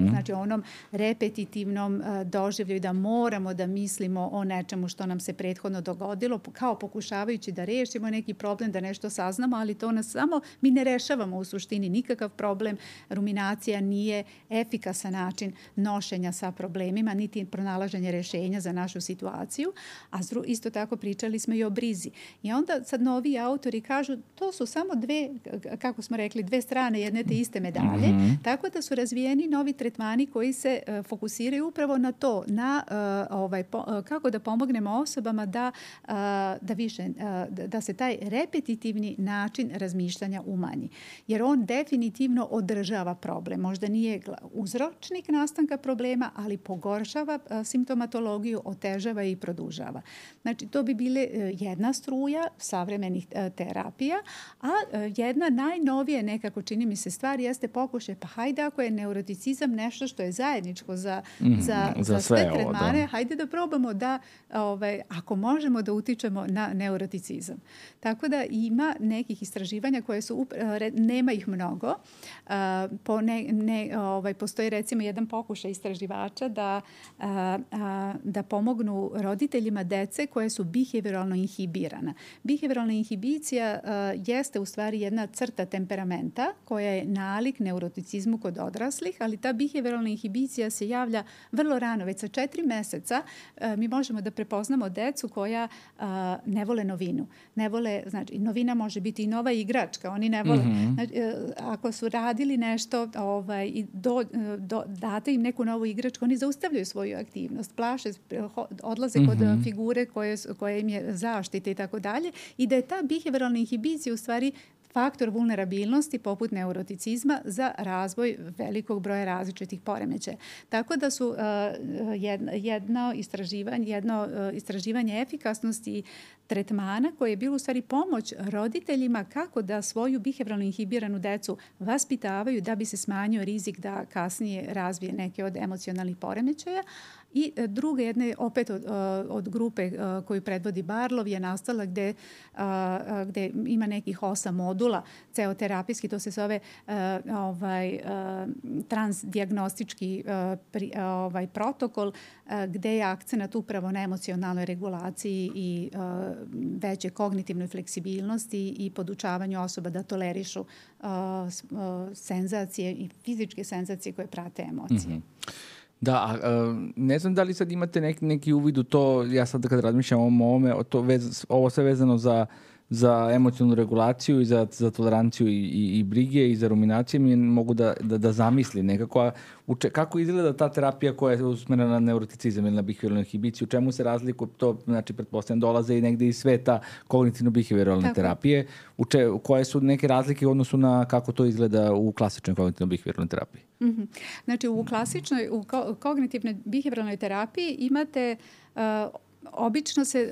znači onom repetitivnom doživlju da moramo da mislimo o nečemu što nam se prethodno dogodilo, kao pokušavajući da rešimo neki problem, da nešto saznamo, ali to nas samo mi ne rešavamo u suštini nikakav problem. Ruminacija nije efikasan način nošenja sa problemima, niti pronalaženje rešenja za našu situaciju. A isto tako pričali smo i o brizi. I onda sad novi autori kažu to su samo dve strane jedne te iste medalje. Tako da su razvijeni novi tretmani koji se fokusiraju upravo na to, kako da pomognemo osobama da se taj repetitivni način razmišljanja umanji. Jer on definitivno održava problem. Možda nije uzročnik nastanka problema, ali pogoršava simptomatologiju, otežava i produžava. Znači, to bi bile jedna struja savremenih terapija, a jedna najnovije nekako, čini mi se, stvar jeste pokušaj, pa hajde ako je neuroticizam nešto što je zajedničko za sve tretmane, hajde da probamo da, ako možemo da utičemo na neuroticizam. Tako da ima nekih istraživanja koje su, nema ih mnogo, postoji recimo jedan pokušaj istraživača da pomognu roditeljima dece koje su behavioralno inhibirana. Behavioralna inhibicija jeste u stvari jedna crta temperamenta koja je nalik neuroticizmu kod odraslih, ali ta behavioralna inhibicija se javlja vrlo rano, već sa 4 meseca mi možemo da prepoznamo decu koja ne vole novinu. Znači, novina može biti i nova igračka, igračka. Oni ne vole. Znači, ako su radili nešto i date im neku novu igračku, oni zaustavljaju svoju aktivnost, plaše, odlaze kod figure koje im je zaštite i tako dalje. I da je ta behavioralna inhibicija u stvari faktor vulnerabilnosti poput neuroticizma za razvoj velikog broja različitih poremećaja. Tako da su jedno istraživanje efikasnosti tretmana koje je bilo u stvari pomoć roditeljima kako da svoju behavioralno inhibiranu decu vaspitavaju da bi se smanjio rizik da kasnije razvije neke od emocionalnih poremećaja. I druga jedna je opet od grupe koju predvodi Barlov je nastala gde ima nekih 8 modula ceoterapijski, to se zove transdijagnostički protokol gde je akcenat upravo na emocionalnoj regulaciji i veće kognitivnoj fleksibilnosti i podučavanju osoba da tolerišu senzacije i fizičke senzacije koje prate emocije. Da, ne znam da li sad imate neki uvid u to, ja sad kad razmišljam o ovome, ovo sve vezano za emocionalnu regulaciju i za toleranciju i brige i za ruminacije mi mogu da zamislim nekako. Kako izgleda ta terapija koja je usmerena na neuroticizam ili na behavioralnu inhibiciju? U čemu se razlikuje to? Znači, pretpostavljam, dolaze i negde iz sveta kognitivno-behavioralne terapije. Koje su neke razlike u odnosu na kako to izgleda u klasičnoj kognitivno-behavioralnoj terapiji? Znači, u kognitivnoj behavioralnoj terapiji imate obično se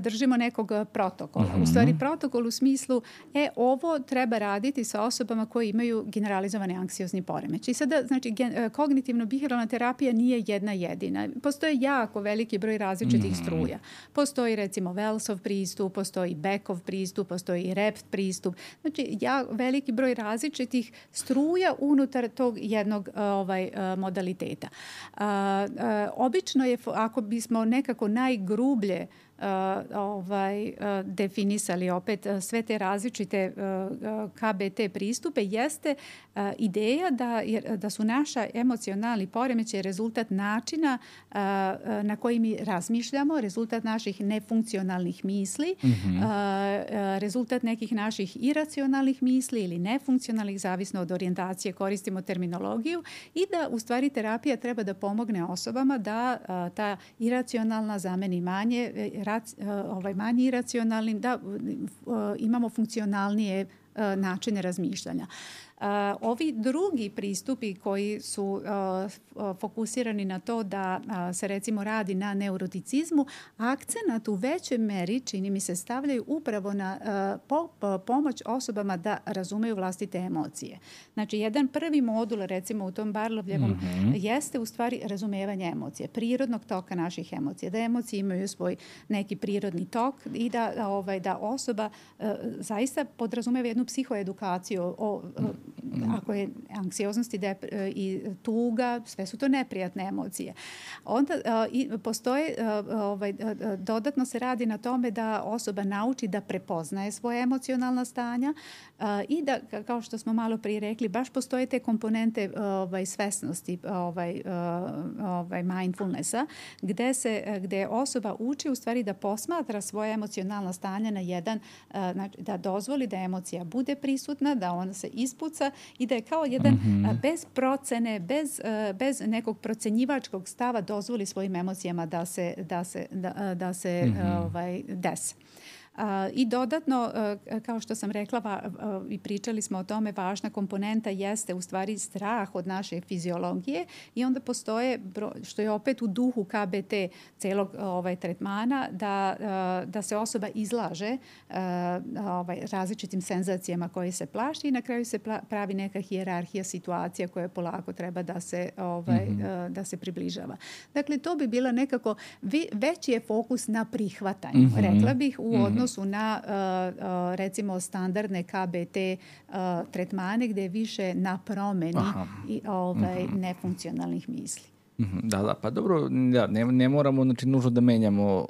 držimo nekog protokola. U stvari protokol u smislu ovo treba raditi sa osobama koje imaju generalizovani anksiozni poremećaj. I sada, znači, kognitivno-behavioralna terapija nije jedna jedina. Postoje jako veliki broj različitih struja. Postoji recimo Wellsov pristup, postoji Beckov pristup, postoji Rept pristup. Znači, veliki broj različitih struja unutar tog jednog modaliteta. Obično je, ako bismo nekako najgrublje definisali opet sve te različite KBT pristupe, jeste ideja da su naša emocionalni poremećaj rezultat načina na koji mi razmišljamo, rezultat naših nefunkcionalnih misli, rezultat nekih naših iracionalnih misli ili nefunkcionalnih, zavisno od orijentacije, koristimo terminologiju, i da u stvari terapija treba da pomogne osobama da ta iracionalna zameni manje iracionalnim, da imamo funkcionalnije načine razmišljanja. Ovi drugi pristupi koji su fokusirani na to da se recimo radi na neuroticizmu, akcenat u većoj meri, čini mi se, stavljaju upravo na pomoć osobama da razumeju vlastite emocije. Znači, jedan prvi modul, recimo u tom Barlovljevom, jeste u stvari razumevanje emocije, prirodnog toka naših emocija, da emocije imaju svoj neki prirodni tok i da osoba zaista podrazumeva jednu psihoedukaciju ako je anksioznost i tuga, sve su to neprijatne emocije. Onda postoje, dodatno se radi na tome da osoba nauči da prepoznaje svoje emocionalna stanja i da, kao što smo malo prije rekli, baš postoje te komponente svesnosti, mindfulnessa, gde osoba uči u stvari da posmatra svoje emocionalna stanja na jedan, znači, da dozvoli da emocija bude prisutna, da ona se ispuca i da je kao jedan bez procene, bez nekog procenjivačkog stava dozvoli svojim emocijama da se dese. I dodatno, kao što sam rekla i pričali smo o tome, važna komponenta jeste u stvari strah od naše fiziologije i onda postoje, što je opet u duhu KBT celog tretmana, da se osoba izlaže različitim senzacijama koje se plaši i na kraju se pravi neka hijerarhija situacija koja polako treba da se približava. Dakle, to bi bila nekako veći je fokus na prihvatanju, rekla bih, u odnosu na recimo standardne KBT tretmane gde je više na promeni nefunkcionalnih misli. Da, pa dobro, ne moramo, znači, nužno da menjamo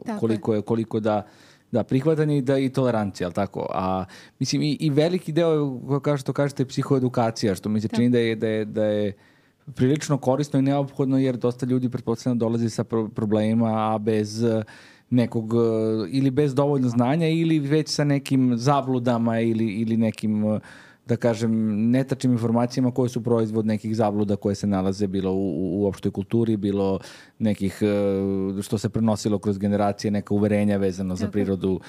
koliko da prihvatanje i tolerancija, ali tako? A mislim, i veliki deo, kao što kažete, psihoedukacija, što mi se čini da je prilično korisno i neophodno, jer dosta ljudi pretpostavljeno dolazi sa problemima, a nekog ili bez dovoljno znanja ili već sa nekim zabludama ili nekim da kažem, netačnim informacijama koje su proizvod nekih zabluda koje se nalaze bilo u opštoj kulturi, bilo nekih što se prenosilo kroz generacije, neka uverenja vezano za prirodu,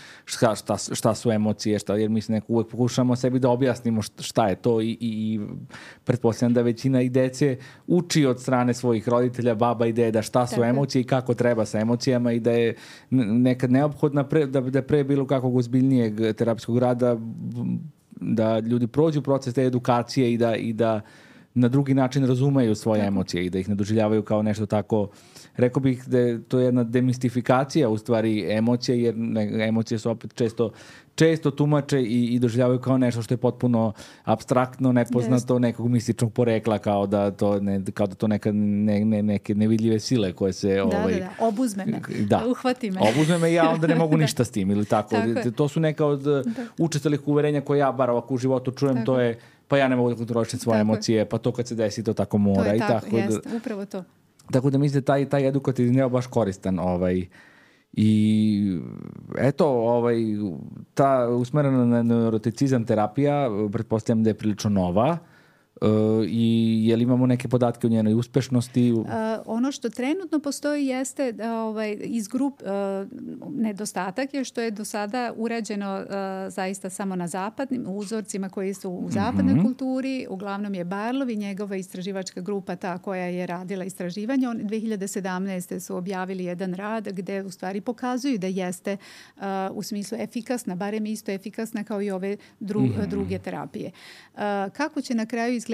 šta su emocije, jer mislim neko uvek pokušamo sebi da objasnimo šta je to i pretpostavljam da većina i dece uči od strane svojih roditelja, baba i deda šta su emocije i kako treba sa emocijama i da je nekad neophodna da pre bilo kakvog ozbiljnijeg terapijskog rada da ljudi prođu proces te edukacije i da na drugi način razumeju svoje emocije i da ih ne doživljavaju kao nešto tako. Rekao bih da je to jedna demistifikacija u stvari emocija, jer emocije su opet često tumače i doživljavaju kao nešto što je potpuno apstraktno, nepoznato, nekog mističnog porekla, kao da to neke nevidljive sile koje se... obuzme me, uhvati me. Obuzme me i ja onda ne mogu ništa s tim ili tako. To su neka od učestalih uverenja koje ja bar ovako u životu čujem, to je pa ja ne mogu da kontrolišem svoje emocije, pa to kad se desi to tako mora. To je tako, jeste, upravo to. Tako da mislim da taj edukativni deo baš koristan. I eto, ta usmerena na neuroticizam terapija, pretpostavljam da je prilično nova. I je li imamo neke podatke o njenoj uspešnosti? Ono što trenutno postoji jeste iz nedostatak je što je do sada urađeno zaista samo na zapadnim uzorcima koji su u zapadnoj kulturi. Uglavnom je Barlov i njegova istraživačka grupa ta koja je radila istraživanje. 2017. su objavili jedan rad gde u stvari pokazuju da jeste u smislu efikasna, barem isto efikasna kao i ove druge terapije. Kako će na kraju izgledati,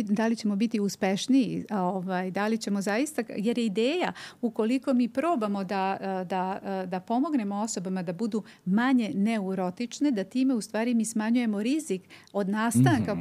da li ćemo biti uspešniji, da li ćemo zaista, jer je ideja ukoliko mi probamo da pomognemo osobama da budu manje neurotične, da time u stvari mi smanjujemo rizik od nastanka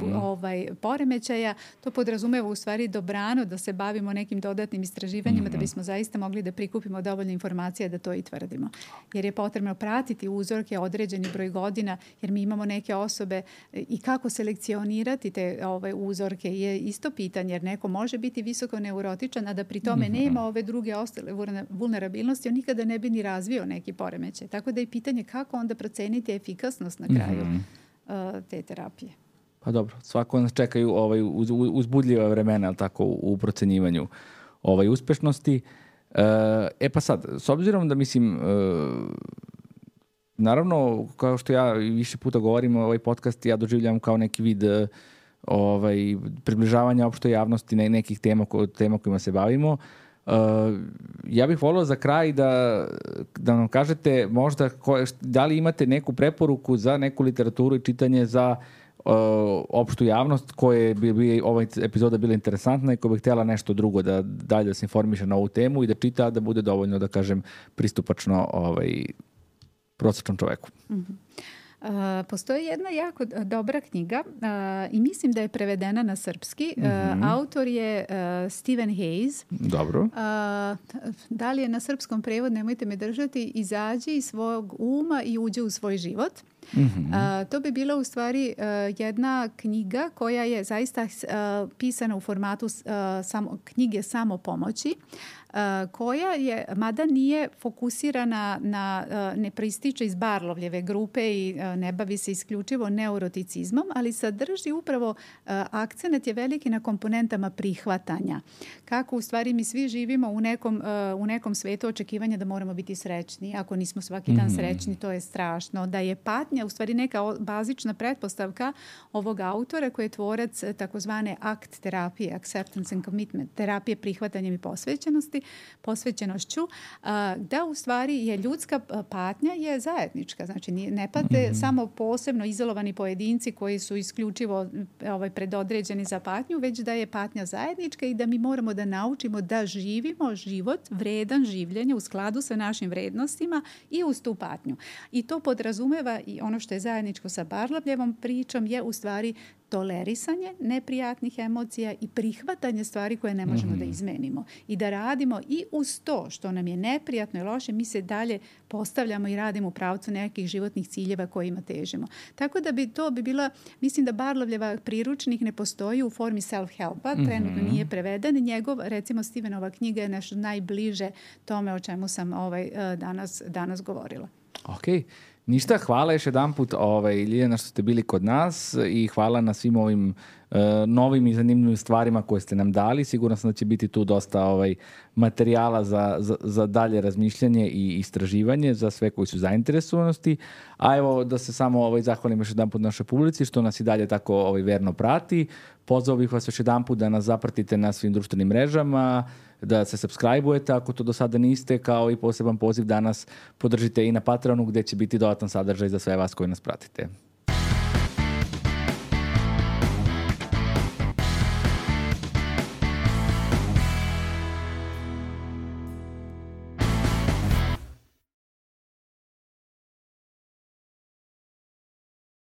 poremećaja, to podrazumeva u stvari dobrano da se bavimo nekim dodatnim istraživanjima da bismo zaista mogli da prikupimo dovoljno informacija da to i tvrdimo. Jer je potrebno pratiti uzorke određeni broj godina, jer mi imamo neke osobe i kako selekcionirati te uzorke je isto pitanje, jer neko može biti visoko neurotičan, a da pri tome nema ove druge ostale vulnerabilnosti, on nikada ne bi ni razvio neki poremećaj. Tako da je pitanje kako onda proceniti efikasnost na kraju te terapije. Pa dobro, svako nas čekaju uzbudljiva vremena tako u procenjivanju uspešnosti. Pa sad, s obzirom da mislim... Naravno, kao što ja više puta govorim, ovaj podcast ja doživljam kao neki vid približavanja opštoj javnosti nekih tema kojima se bavimo. Ja bih volio za kraj da nam kažete možda da li imate neku preporuku za neku literaturu i čitanje za opštu javnost koje bi ova epizoda bila interesantna i koja bi htjela nešto drugo da dalje da se informiše na ovu temu i da čita, da bude dovoljno, da kažem, pristupačno prosječnom čoveku. Postoji jedna jako dobra knjiga i mislim da je prevedena na srpski. Autor je Stephen Hayes. Dobro. Da li je na srpskom prevod, nemojte me držati, izađi iz svog uma i uđe u svoj život. To bi bila u stvari jedna knjiga koja je zaista pisana u formatu knjige samopomoći, koja je, mada nije fokusirana ne proističe iz Barlovljeve grupe i ne bavi se isključivo neuroticizmom, ali sadrži upravo akcenat je veliki na komponentama prihvatanja. Kako u stvari mi svi živimo u nekom svetu očekivanja da moramo biti srećni. Ako nismo svaki dan srećni, to je strašno. Da je patnja u stvari neka bazična pretpostavka ovog autora koji je tvorac takozvane ACT terapije, Acceptance and Commitment, terapije prihvatanjem i posvećenošću, da u stvari je ljudska patnja je zajednička. Znači ne pate samo posebno izolovani pojedinci koji su isključivo predodređeni za patnju, već da je patnja zajednička i da mi moramo da naučimo da živimo život vredan življenja u skladu sa našim vrednostima i uz tu patnju. I to podrazumeva i ono što je zajedničko sa Barlavljevom pričom je u stvari tolerisanje neprijatnih emocija i prihvatanje stvari koje ne možemo da izmenimo. I da radimo i uz to što nam je neprijatno i loše, mi se dalje postavljamo i radimo u pravcu nekih životnih ciljeva kojima težimo. Tako da to bi bila, mislim da Barlavljeva priručnik ne postoji u formi self-helpa, trenutno nije preveden. Njegov, recimo Stevenova knjiga je nešto najbliže tome o čemu sam danas govorila. Ok. Ništa, hvala još jedan put Ljiljana što ste bili kod nas i hvala na svim ovim novim i zanimljivim stvarima koje ste nam dali. Sigurno sam da će biti tu dosta materijala za dalje razmišljanje i istraživanje za sve koji su zainteresovanosti. A evo da se samo zahvalim još jedan put našoj publici što nas i dalje tako verno prati. Pozvao bih vas još jedan put da nas zapratite na svim društvenim mrežama, da se subscribe-ujete ako to do sada niste, kao i poseban poziv da nas podržite i na Patreonu gdje će biti dodatan sadržaj za sve vas koji nas pratite.